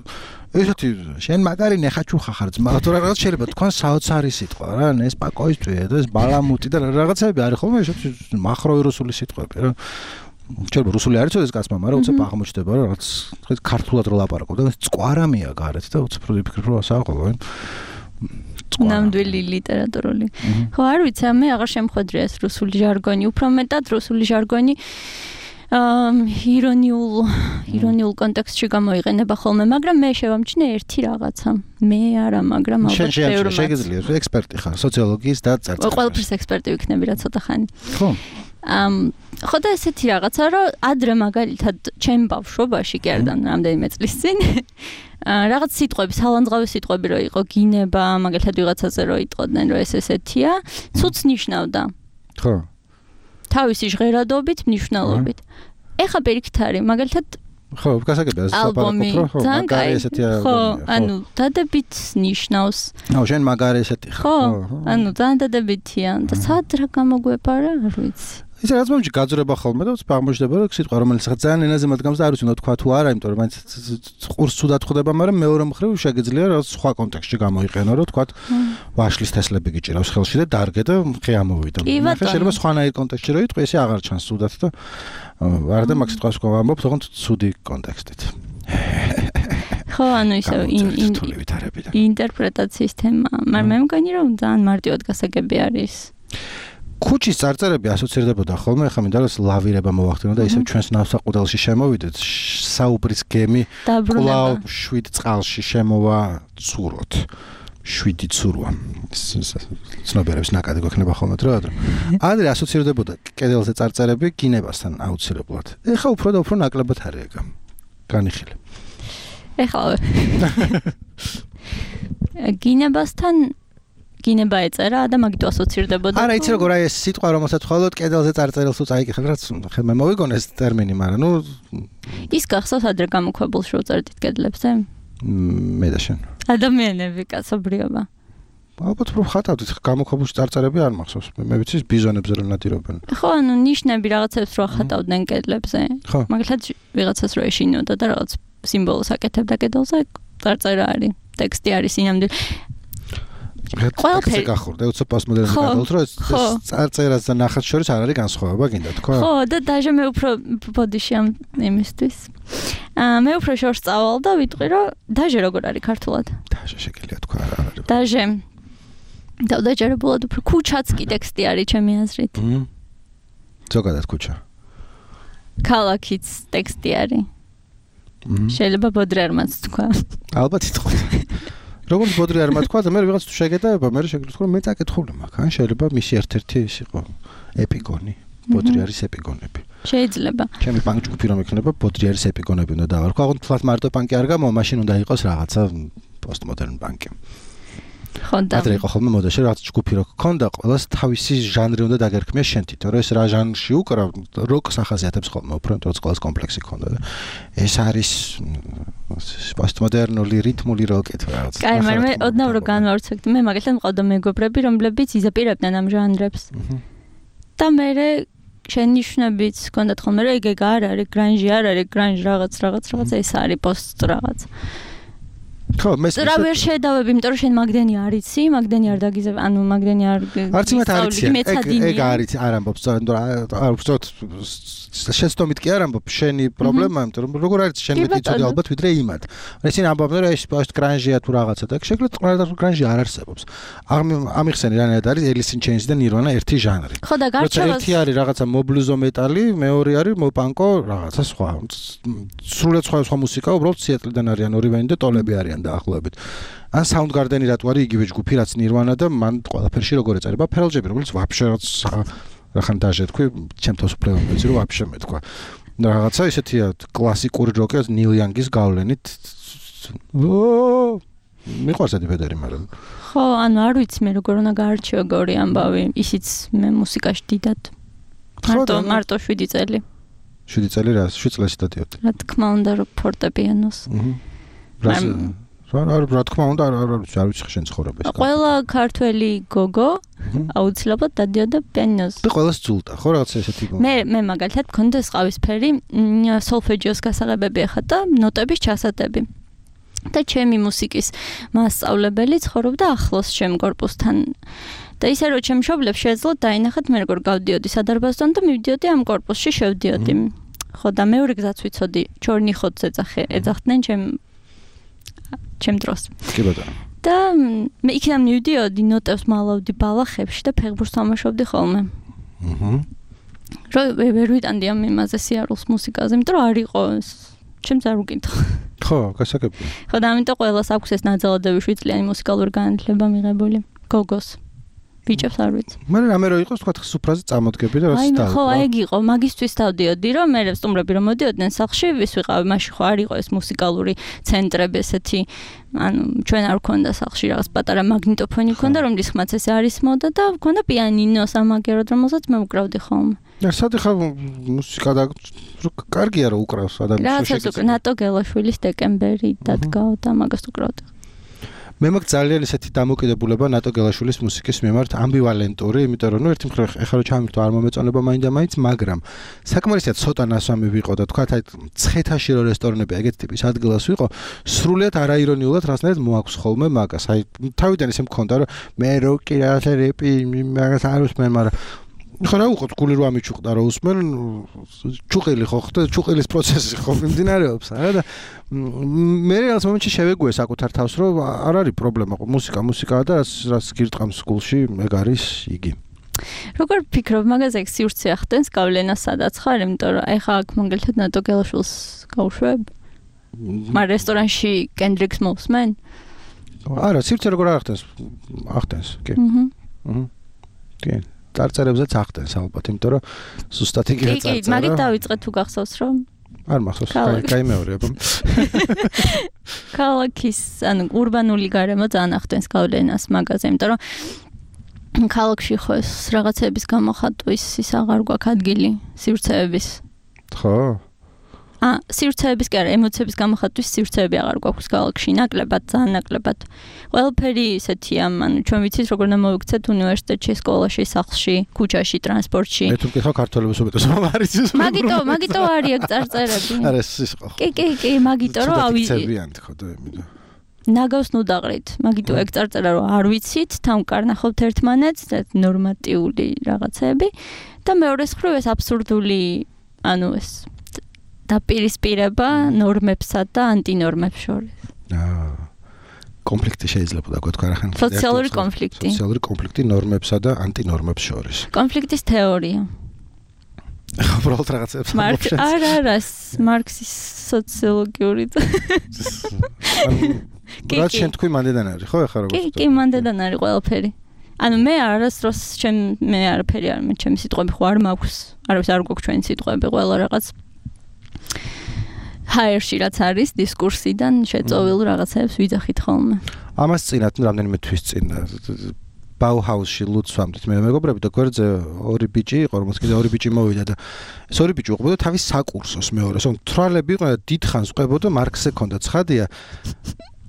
ესეთი შენ მაგარი ნეხაჩუხა ხარ ძმა, თუ რაღაც შეიძლება თქვენ საოცარი სიტყვა რა, ნესპაკოისტვია და ეს ბალამუტი და რაღაცები არის ხოლმე ესეთი მახროვი რუსული სიტყვები რა. შეიძლება რუსული არ იცოდეს კაცმა, მაგრამ უცებ აღმოჩნდება რომ რაღაც ქართულად რო ლაპარაკობ და წყვარამია გარეთ და უცებ რო ვიფიქრებ რომ ასაა ხოლმე.
ნამდვილი ლიტერატურული. ხო, არ ვიცი, მე აღარ შემხვედრია ეს რუსული ჟარგონი, უფრო მეტად რუსული ჟარგონი აა ირონიულ ირონიულ კონტექსტში გამოიყენება ხოლმე, მაგრამ მე შევამჩნე ერთი რაღაცა. მე არა, მაგრამ ალბათ ბევრმა.
შეგიძლია ექსპერტი ხარ, სოციოლოგიის და წარწერის.
ყველაფერს ექსპერტი ვიქნები რა ცოტა ხანი.
ხო.
ამ ხო და ესეთი რაღაცა, რომ ადრე მაგალითად ჩემ ბავშვობაში კი არ რამდენიმე წლის წინ რაღაც სიტყვები, სალანძღავი სიტყვები რო იყო, გინება, მაგალითად ვიღაცაზე რო იტყოდნენ, რომ ეს ესეთია, ცუც ნიშნავდა.
ხო.
თავისი ჟღერადობით, მნიშვნელობით. ეხა პირიქით არის, მაგალითად
ხო, გასაგებია ეს
ალბომი,
ხო, მაგარი ესეთი ალბომი.
ხო, ანუ დადებით ნიშნავს.
აუ, შენ მაგარი ესეთი ხარ.
ხო, ანუ ძალიან დადებითია და სად რა გამოგვეპარა, არ ვიცი.
ის რაც მომჭი გაძრება ხოლმე და აღმოჩნდება რომ სიტყვა რომელიც ხა ძალიან ენაზე მათგამს და არ ვიცი უნდა თქვა თუ არა, იმიტომ რომ მაინც ყურს ცუდად ხვდება, მაგრამ მეორე მხრივ შეგიძლია რა სხვა კონტექსტში გამოიყენო, რომ თქვა ვაშლის თესლები გიჭირავს ხელში და დარგე და ხე ამოვიდა. ხა შეიძლება სხვანაირ კონტექსტში რო იტყვი, ესე აღარ ჩანს ცუდად და არ და მაგ სიტყვას თქვა ამბობ, თქო ცუდი კონტექსტით.
ხო, ანუ ისე ინტერპრეტაციის თემა, მაგრამ მე მგონი რომ ძალიან მარტივად გასაგები არის.
ქუჩის წარწერები ასოცირდებოდა ხოლმე, ხა მინდა რომ ლავირება მოვახდინო და ისევ ჩვენს ნავსაყუდელში შემოვიდეთ, საუბრის გემი კვლავ შვიდ წყალში შემოვა ცუროთ. შვიდი ცურვა. ცნობიერების ნაკადი გვექნება ხოლმე დრო ადრე. ადრე ასოცირდებოდა კედელზე წარწერები გინებასთან აუცილებლად. ეხა უფრო და უფრო ნაკლებად არის ეგ. განიხილე.
ეხლა გინებასთან გინება ეწერა და მაგით ასოცირდებოდა.
არა, იცი როგორ აი ეს სიტყვა რომელსაც ხოლოდ კედელზე წარწერილს უწაიკითხებ, რაც ხე მე მოვიგონე ეს ტერმინი, მაგრამ ნუ
ის გახსოვს ადრე გამოქვებულს რო წერდით კედლებზე?
მე და შენ.
ადამიანები, კაცობრიობა.
ალბათ რომ ხატავდით, გამოქვებულს წარწერები არ მახსოვს. მე ვიცი ბიზონებზე რომ ნადირობენ.
ხო, ანუ ნიშნები რაღაცებს რო ხატავდნენ კედლებზე. მაგალითად ვიღაცას რო ეშინოდა და რაღაც სიმბოლოს აკეთებდა კედელზე, წარწერა არის, ტექსტი არის ინამდვილ.
ყველაფერი გახურდა, უცებ პოსტმოდერნიზმი გადავთ, რომ ეს წარწერას და ნახატს შორის არ არის განსხვავება, გინდა თქვა?
ხო, და დაჟე მე უფრო ბოდიში ამ იმისთვის. აა მე უფრო შორს წავალ და ვიტყვი, რომ დაჟე როგორ არის ქართულად?
დაჟე შეგიძლია თქვა რა არის.
დაჟე. და დაჯერებულად უფრო ქუჩაც კი ტექსტი არის ჩემი აზრით.
მმ. ზოგადად ქუჩა.
ქალაქიც ტექსტი არის.
მმ.
შეიძლება ბოდრი არ მას თქვა.
ალბათ იტყვა. როგორც ბოდრი არ მათქვა და მე ვიღაც თუ შეგედაება, მე შეგიძლია თქვა, მე წაკითხული მაქვს, ან შეიძლება მისი ერთ-ერთი ის იყო ეპიგონი. ბოდრი არის ეპიგონები.
შეიძლება.
ჩემი პანკ ჯგუფი რომ იქნება, ბოდრი არის ეპიგონები უნდა დავარქვა. აღარ თვლად მარტო პანკი არ გამო, მაშინ უნდა იყოს რაღაცა პოსტმოდერნ პანკი.
ხო და
ადრე იყო ხოლმე მოდაში რაღაც ჯგუფი რო გქონდა, ყველას თავისი ჟანრი უნდა დაგერქმია შენ თვითონ, რომ ეს რა ჟანრში უკრავ, როკს ახასიათებს ხოლმე, უფრო მეტად ყველას კომპლექსი ქონდა და ეს არის პოსტმოდერნული რიტმული როკი თუ რაღაც.
კაი, მაგრამ მე ოდნავ რო განვავრცელდი, მე მაგალითად მყავდა მეგობრები, რომლებიც იზაპირებდნენ ამ ჟანრებს. და მე შენიშვნებიც ჰქონდათ ხოლმე, რომ ეგ არ არის, გრანჟი არ არის, გრანჟ რაღაც რაღაც რაღაც ეს არის პოსტ რაღაც.
ხო, მე
რა ვერ შედავებ, იმიტომ რომ შენ მაგდენი არ იცი, მაგდენი არ დაგიზებ, ანუ მაგდენი არ
არც იმათ არ იცი. ეგ ეგ არის, არ ამბობს, იმიტომ რომ არ ვწოთ შეცდომით კი არ ამბობ, შენი პრობლემაა, იმიტომ რომ როგორ არის შენ მეტი ცუდი ალბათ ვიდრე იმათ. ისინი ამბობენ რომ ეს პოსტ გრანჟია თუ რაღაცა და შეგვიძლია ყველა გრანჟი არ არსებობს. ამიხსენი რანაირად არის Alice in Chains და Nirvana ერთი ჟანრი.
ხო და გარჩევას
ერთი არის რაღაცა მობლუზო მეტალი, მეორე არის მოპანკო რაღაცა სხვა. სრულად სხვა სხვა მუსიკა, უბრალოდ სიეტლიდან არიან ორივენი და ტოლები არიან დაახლოებით. ან Soundgarden-ი რატო არის იგივე ჯგუფი, რაც Nirvana და მან ყველაფერში როგორ ეწერება Pearl Jam-ი, რომელიც ვაფშე რაც რახან დაჟე თქვი, ჩემთვის უფრო მეცი რომ ვაფშე მეთქვა. რაღაცა ისეთია კლასიკური როკი, Neil Young-ის გავლენით. ო მიყვარს ეს ბედერი, მაგრამ
ხო, ანუ არ ვიცი მე როგორ უნდა გაარჩიო გორი ამბავი, ისიც მე მუსიკაში დიდად. მარტო მარტო შვიდი წელი.
შვიდი წელი რა, შვიდ წელს დადიოდი.
რა თქმა უნდა, რომ ფორტეპიანოს.
აჰა. რა თქმა უნდა, არ არ ვიცი შენ ცხოვრება ეს.
ყველა ქართველი გოგო აუცილებლად დადიოდა პიანინოზე.
და ყველას ძულდა, ხო რაღაც ესეთი.
მე მე მაგალითად მქონდა ყავისფერი სოლფეჯიოს გასაღებები ახლა და ნოტების ჩასატები. და ჩემი მუსიკის მასწავლებელი ცხოვრობდა ახლოს ჩემ კორპუსთან. და ისე რომ ჩემ მშობლებს შეეძლოთ დაინახათ მე როგორ გავდიოდი სადარბაზთან და მივდიოდი ამ კორპუსში შევდიოდი. ხო და მეორე გზაც ვიცოდი, ჩორნი ხოც ეძახე, ეძახდნენ ჩემ ჩემ დროს.
კი ბატონო.
და მე იქიდან მივდიოდი, ნოტებს მალავდი ბალახებში და ფეხბურთს თამაშობდი ხოლმე.
აჰა.
რო ვერ ვიტანდი ამ იმაზე სიარულს მუსიკაზე, იმიტომ რომ არ იყო ჩემს არ უკითხო.
ხო, გასაგებია.
ხო და ამიტომ ყველას აქვს ეს ნაძალადები შვიდ წლიანი მუსიკალური განათლება მიღებული. გოგოს. ბიჭებს არ ვიცი.
მე რამე რო იყოს, თქვა სუფრაზე წამოდგები და რაც და.
აი, ხო, აი იყო, მაგისტვის დავდიოდი, რომ მე სტუმრები რომ მოდიოდნენ სახლში, ვის ვიყავი, მაშინ ხო არ იყო ეს მუსიკალური ცენტრები ესეთი, ანუ ჩვენ არ გქონდა სახლში რაღაც პატარა მაგნიტოფონი გქონდა, რომლის ხმაც ეს არის მოდა და გქონდა პიანინო სამაგეროდ, რომელსაც მე უკრავდი ხოლმე.
და საერთოდ ხა მუსიკა და კარგია რომ უკრავს ადამიანს.
რა თქმა ნატო გელაშვილის დეკემბერი დადგა და მაგას უკრავდი.
მე მაგ ძალიან ისეთი დამოკიდებულება ნატო გელაშვილის მუსიკის მიმართ ამბივალენტური, იმიტომ რომ ნუ ერთი მხრივ ეხლა რომ ჩამირთო არ მომეწონება მაინდა მაინც, მაგრამ საკმარისად ცოტა ნასვამი ვიყო და თქვა აი ცხეთაში რო რესტორნები ეგეთ ტიპის ადგილას ვიყო, სრულიად არაირონიულად რაღაცნაირად მოაქვს ხოლმე მაგას. აი თავიდან ისე მქონდა რომ მე რო კი რაღაცა რეპი მაგას არ უსმენ, მაგრამ ხო რა უყოთ გული რო ამიჩუყდა რომ უსმენ ჩუყილი ხო ხდა ჩუყილის პროცესი ხო მიმდინარეობს არა და მე რაღაც მომენტში შევეგუე საკუთარ თავს რომ არ არის პრობლემა მუსიკა მუსიკაა და რაც გირტყამს გულში ეგ არის იგი
როგორ ფიქრობ მაგაზე ეგ სივრცე ახდენს გავლენას სადაც ხარ იმიტომ რომ ეხა აქ მაგალითად ნატო გელაშვილს გავუშვებ მაგ რესტორანში კენდრიქს მოვსმენ
არა სივრცე როგორ ახდენს ახდენს კი აჰა აჰა კი წარწერებზეც ახდენს ალბათ, იმიტომ რომ ზუსტად იგივე წარწერა.
კი, კი, მაგით დავიწყე თუ გახსოვს რომ
არ მახსოვს, გაიმეორებ.
ქალაქის, ანუ ურბანული გარემო ძალიან ახდენს გავლენას მაგაზე, იმიტომ რომ ქალაქში ხო ეს რაღაცების გამოხატვის ის აღარ გვაქვს ადგილი სივრცეების.
ხო?
ა, სივრცეების კი არა, ემოციების გამოხატვის სივრცეები აღარ გვაქვს ქალაქში, ნაკლებად, ძალიან ნაკლებად. ყველაფერი ისეთია, ანუ ჩვენ ვიცით როგორ უნდა მოვიქცეთ უნივერსიტეტში, სკოლაში, სახლში, ქუჩაში, ტრანსპორტში.
მე თუ მკითხავ ქართველებს უმეტეს რომ არ იცის.
მაგიტო, მაგიტო არის ეგ წარწერები.
არა, ეს ის ხო.
კი, კი, კი, მაგიტო რომ ავი.
ხო და იმიდა.
ნაგავს ნუდაღრით, მაგიტო ეგ წარწერა რომ არ ვიცით, თამკარნახობთ ერთმანეთს, ნორმატიული რაღაცები და მეორეს მხრივ ეს აბსურდული, ანუ ეს დაპირისპირება ნორმებსა და ანტინორმებს შორის.
აა კონფლიქტი შეიძლება დაგვეთქვა რა ხან.
სოციალური კონფლიქტი.
სოციალური კონფლიქტი ნორმებსა და ანტინორმებს შორის.
კონფლიქტის თეორია.
ხო, უბრალოდ რაღაცებს
მარკს არ არის მარქსის სოციოლოგიური.
რაც შენ თქვი მანდედან არის, ხო ახლა როგორ?
კი, კი, მანდედან არის ყველაფერი. ანუ მე არასდროს ჩემ მე არაფერი არ მე ჩემი სიტყვები ხო არ მაქვს. არავის არ გვაქვს ჩვენი სიტყვები, ყველა რაღაც ჰაერში რაც არის დისკურსიდან შეწოვილ რაღაცებს ვიძახით ხოლმე.
ამას წინათ რამდენიმე თვის წინ ბაუჰაუსში ლუცვამდით მე მეგობრები და გვერდზე ორი ბიჭი იყო, რომელს კიდე ორი ბიჭი მოვიდა და ეს ორი ბიჭი უყურებდა თავის საკურსოს მეორეს. ანუ თრალები იყვნენ და დიდხანს ყვებოდა მარქსზე ქონდა ცხადია.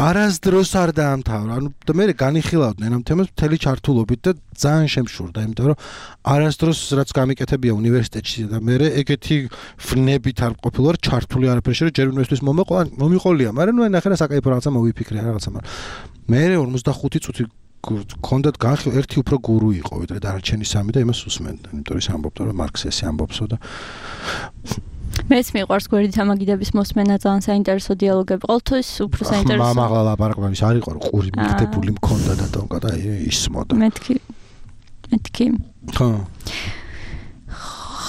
არასდროს არ დაამთავრა. ანუ და მე განიხილავდნენ ამ თემას მთელი ჩართულობით და ძალიან შემშურდა, იმიტომ რომ არასდროს რაც გამიკეთებია უნივერსიტეტში და მე ეგეთი ვნებით არ ყოფილვარ ჩართული არაფერში, რომ ჯერ უნივერსიტეტის მომეყვა, მომიყოლია, მაგრამ ნუ ნახე რა საკაიფო რაღაცა მოვიფიქრე რაღაცა, მაგრამ მე ორმოცდახუთი წუთი გქონდათ განხილვა, ერთი უფრო გურუ იყო, ვიდრე დანარჩენი სამი და იმას უსმენდა, იმიტომ ის ამბობდა რომ მარქსი ესე ამბობსო და
მეც მიყვარს გვერდით ამაგიდების მოსმენა ძალიან საინტერესო დიალოგები. ყოველთვის უფრო საინტერესო.
მამაღლა ლაპარაკობ ის არ იყო რომ ყური მიგდებული მქონდა და თონკა და ისმოდა.
მეთქი. მეთქი.
ხო.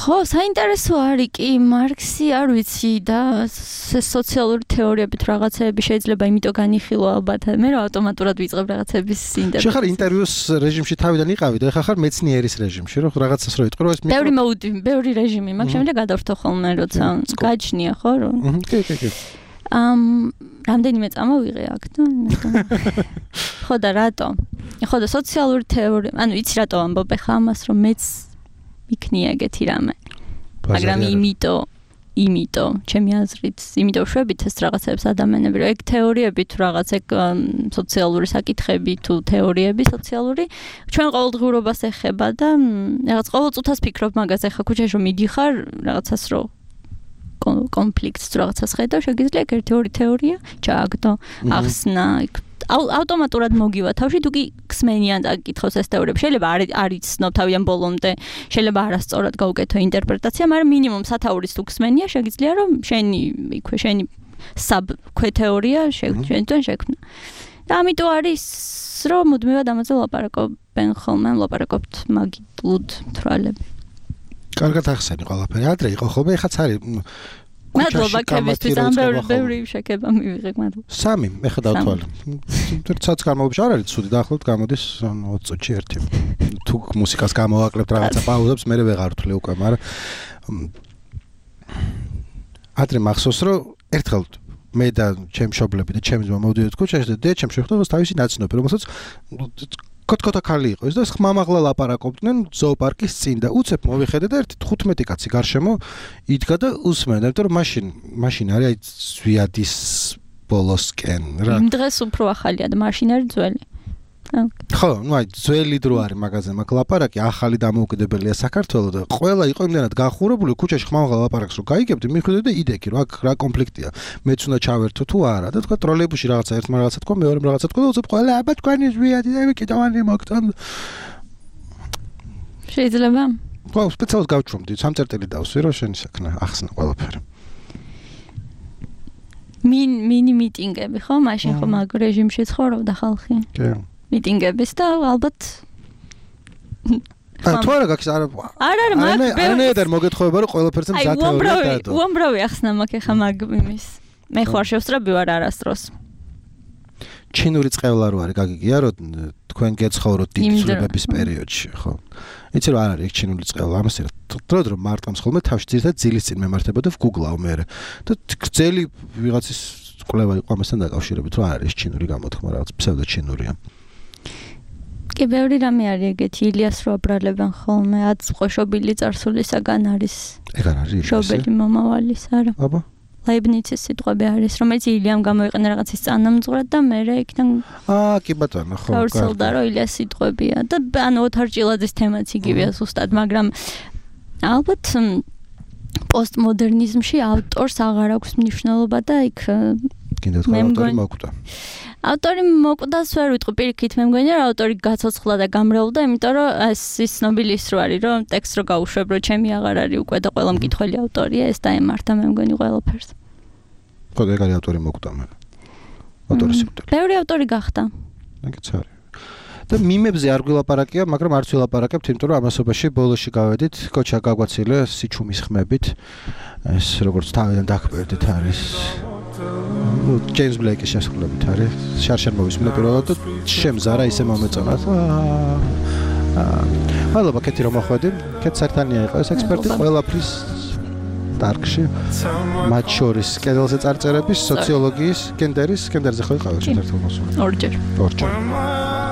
ხო, საინტერესო არის კი მარქსი, არ ვიცი და სოციალური თეორიებით რაღაცეები შეიძლება იმიტომ განიხილო ალბათ. მე რა ავტომატურად ვიწყებ რაღაცების ინტერვიუს.
შეხარ ინტერვიუს რეჟიმში თავიდან იყავი და ეხლა ხარ მეცნიერის რეჟიმში, რომ რაღაცას რო იტყვი, რომ ეს მიკრო.
ბევრი მოუდი, ბევრი რეჟიმი, მაგ შემდეგ გადავრთო ხოლმე, როცა გაჩნია, ხო, რომ.
კი, კი, კი.
ამ რამდენიმე წამოვიღე აქ და ხო და რატო? ხო და სოციალური თეორია, ანუ იცი რატო ამბობ ეხლა ამას, რომ მეც იქნია ეგეთი რამე. მაგრამ იმიტომ იმიტომ, ჩემი აზრით, იმიტომ შვებით ეს რაღაცებს ადამიანები, რომ ეგ თეორიები თუ რაღაც ეგ სოციალური საკითხები თუ თეორიები სოციალური, ჩვენ ყოველდღიურობას ეხება და რაღაც ყოველ წუთას ფიქრობ მაგაზე, ხა ქუჩაში რომ მიდიხარ, რაღაცას რო კონფლიქტს თუ რაღაცას ხედავ, შეგიძლია ერთი ორი თეორია ჩააგდო, ახსნა, ავტომატურად მოგივა თავში, თუ კი ხსმენიან აკითხავს ეს თეორიები. შეიძლება არ არ იცნობ თავიდან ბოლომდე, შეიძლება არასწორად გაუკეთო ინტერპრეტაცია, მაგრამ მინიმუმ სათაურის თუ ხსმენია, შეგიძლია რომ შენი იქვე შენი საბ ქვეთეორია შეგჭენ შექმნა. და ამიტომ არის რომ მუდმივად ამაზე ლაპარაკობენ ხოლმე, ლაპარაკობთ მაგიტლუდ თვალები.
კარგად ახსენი ყველაფერი. ადრე იყო ხოლმე, ეხაც არის
მადლობა ქებისთვის, ამ ბევრი შეკება მივიღე, მადლობა.
სამი, ეხლა დავთვალე. თორცაც გამოვიჭ არ არის ცუდი, დაახლოებით გამოდის ოცი წუთში ერთი. თუ მუსიკას გამოვაკლებთ რაღაცა პაუზებს, მე ვეღარ ვთვლი უკვე, მაგრამ ადრე მახსოვს, რომ ერთხელ მე და ჩემი მშობლები და ჩემი ძმა მოვდიოდით ქუჩაში და დედამ შეხვდა თავისი ნაცნობი, რომელსაც კოტკოტა ქალი იყო ეს და ხმამაღლა ლაპარაკობდნენ ზოოპარკის წინ და უცებ მოვიხედე და ერთი თხუთმეტი კაცი გარშემო იდგა და უსმენდა, იმიტომ რომ მაშინ მაშინ არის აი ზვიადის ბოლოსკენ რა.
იმ დღეს უფრო ახალია და მაშინ არის ძველი.
ხო, ну აი ძველი დრო არის მაგაზე მაგ ლაპარაკი, ახალი დამოუკიდებელია საქართველოს და ყველა იყო იმდანად გახურებული ქუჩაში ხმამაღლა ლაპარაკს რომ გაიგებდი, მიხვიდე და იდექი რომ აქ რა კონფლიქტია. მეც უნდა ჩავერთო თუ არა და თქვა ტროლეიბუსში რაღაცა ერთმა რაღაცა თქვა, მეორემ რაღაცა თქვა და უცებ ყველა აბა თქვენი ზვიადი და მე კიდევანი მოგწონ.
შეიძლება?
ხო, სპეციალურად გავჩვენდი, სამწერტილი დავსვი რომ შენი საქმე ახსნა ყველაფერი.
მინ მინი მიტინგები ხო? მაშინ ხო მაგ რეჟიმში ცხოვრობდა ხალხი.
კი.
მიტინგების და ალბათ
აა თუ არა გაქვს არა
არა არა მაგ
არანაირად მოგეთხოვება რომ ყველაფერზე მზად თეორია დადო.
უამრავი ახსნა მაქვს ახლა მაგ იმის. მე ხوار შევსწრები ვარ არასდროს.
ჩინური წყევლა რო არის გაგიგია რომ თქვენ გეცხოვროთ დიდი ცვლილებების პერიოდში, ხო? იცი რომ არ არის ეგ ჩინური წყევლა, ამას რა დრო დრო მარტყამს ხოლმე თავში ძირითადად ძილის წინ მემართება და ვგუგლავ მე და გრძელი ვიღაცის კვლევა იყო ამასთან დაკავშირებით რომ არ არის ჩინური გამოთქმა, რაღაც ფსევდო ჩინურია.
კი ბევრი რამე არის ეგეთი, ილიას რო აბრალებენ ხოლმე, აც ყოშობილი წარსულისაგან არის.
ეგ არ არის
შობელი მომავალის, არა.
აბა
ლაიბნიცის სიტყვები არის, რომელიც ილიამ გამოიყენა რაღაცის წანამძღვრად და მერე იქიდან
აა კი ბატონო, ხო.
გავრცელდა რომ ილიას სიტყვებია და ანუ ოთარ ჭილაძის თემაც იგივეა ზუსტად, მაგრამ ალბათ პოსტმოდერნიზმში ავტორს აღარ აქვს მნიშვნელობა და იქ
კიდევ თქვა ავტორი მოკვდა.
ავტორი მოკვდას ვერ ვიტყვი პირიქით, მე მგონია რომ ავტორი გაცოცხლა და გამრევლდა, იმიტომ რომ ეს ის ცნობილი ის რო არის, რომ ტექსტს რო გაუშვებ, რომ ჩემი აღარ არის უკვე და ყველა მკითხველი ავტორია, ეს დაემართა მე მგონი ყველაფერს.
ხო, ეგ არის ავტორი მოკვდა მე. ავტორის სიკვდილი.
ბევრი ავტორი გახდა.
ეგეც არის. და მიმებზე არ გვილაპარაკია, მაგრამ არც ვილაპარაკებთ, იმიტომ რომ ამასობაში ბოლოში გავედით, კოჩა გაგვაცილე სიჩუმის ხმებით. ეს როგორც თავიდან დაგკვირდით არის ну ჯეიმს ბლეიკის შესრულებით არის შარშემოვის მე პირველად და შემზარა ისე მომეწონა მადლობა კეთი რომ მოხვედი კეთ საერთანია იყო ეს ექსპერტი ყველაფრის დარგში მათ შორის კედელზე წარწერების სოციოლოგიის გენდერის გენდერზე ხო იყავი ერთად მოსული
ორჯერ
ორჯერ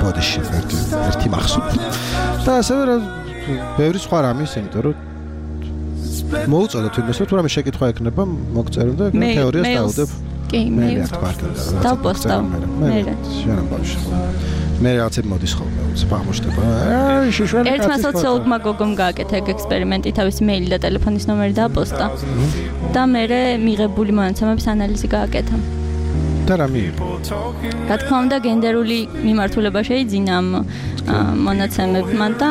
ბოდიში ერთი ერთი მახსოვს და ასევე ბევრი სხვა რამის იმიტომ რომ მოუწოდეთ იმას რომ თუ რამე შეკითხვა ექნება მოგწერო და თეორიას დავუდებ
კი მე და პოსტავ მე
შენ ბავშვი მე რაღაცები მოდის ხოლმე უცებ აღმოჩნდება აი შეშველი
ერთმა სოციოლოგმა გოგომ გააკეთა ეგ ექსპერიმენტი თავისი მეილი და ტელეფონის ნომერი დააპოსტა და მე მიღებული მონაცემების ანალიზი გააკეთა
და რა მიიღო
რა თქმა უნდა გენდერული მიმართულება შეიძინა ამ მონაცემებმა და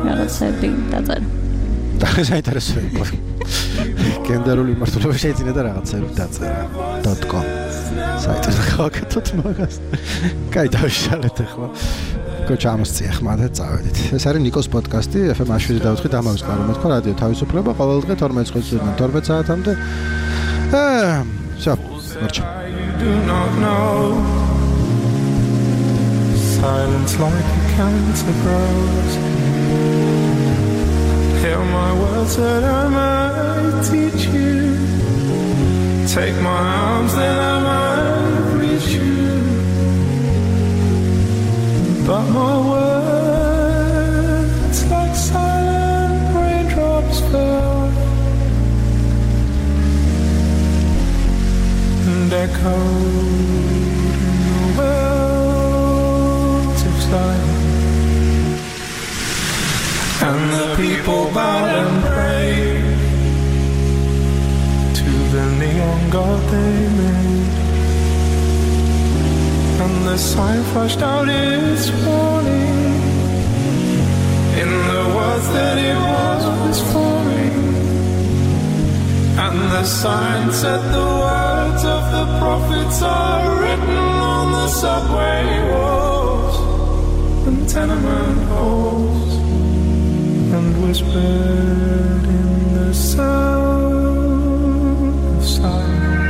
რაღაცები დაწერა
და საინტერესო იყო გენდერული მიმართულება შეიძინა და რაღაცები დაწერა .com საიტზე გავაკეთოთ მაგას. კაი დავიშალეთ ახლა. კოჩა ამოსწია ხმა და წავედით. ეს არის ნიკოს პოდკასტი ეფ ემ შვიდი დავთხი დამავის კარო მეთქვა რადიო თავისუფლება ყოველ დღე თორმეტ წუთიდან თორმეტ საათამდე. აა, всё, მორჩა.
Silence like a cancer grows. Hear my words that I might teach you. Take my arms that I might reach you. But my words like silent raindrops fell. echoed in the wells of silence, and the people bowed and prayed to the neon god they made, and the sign flashed out its warning in the words that it was forming, and the sign said the words of the prophets are written on the subway walls and tenement halls, and whispered in the sound of silence.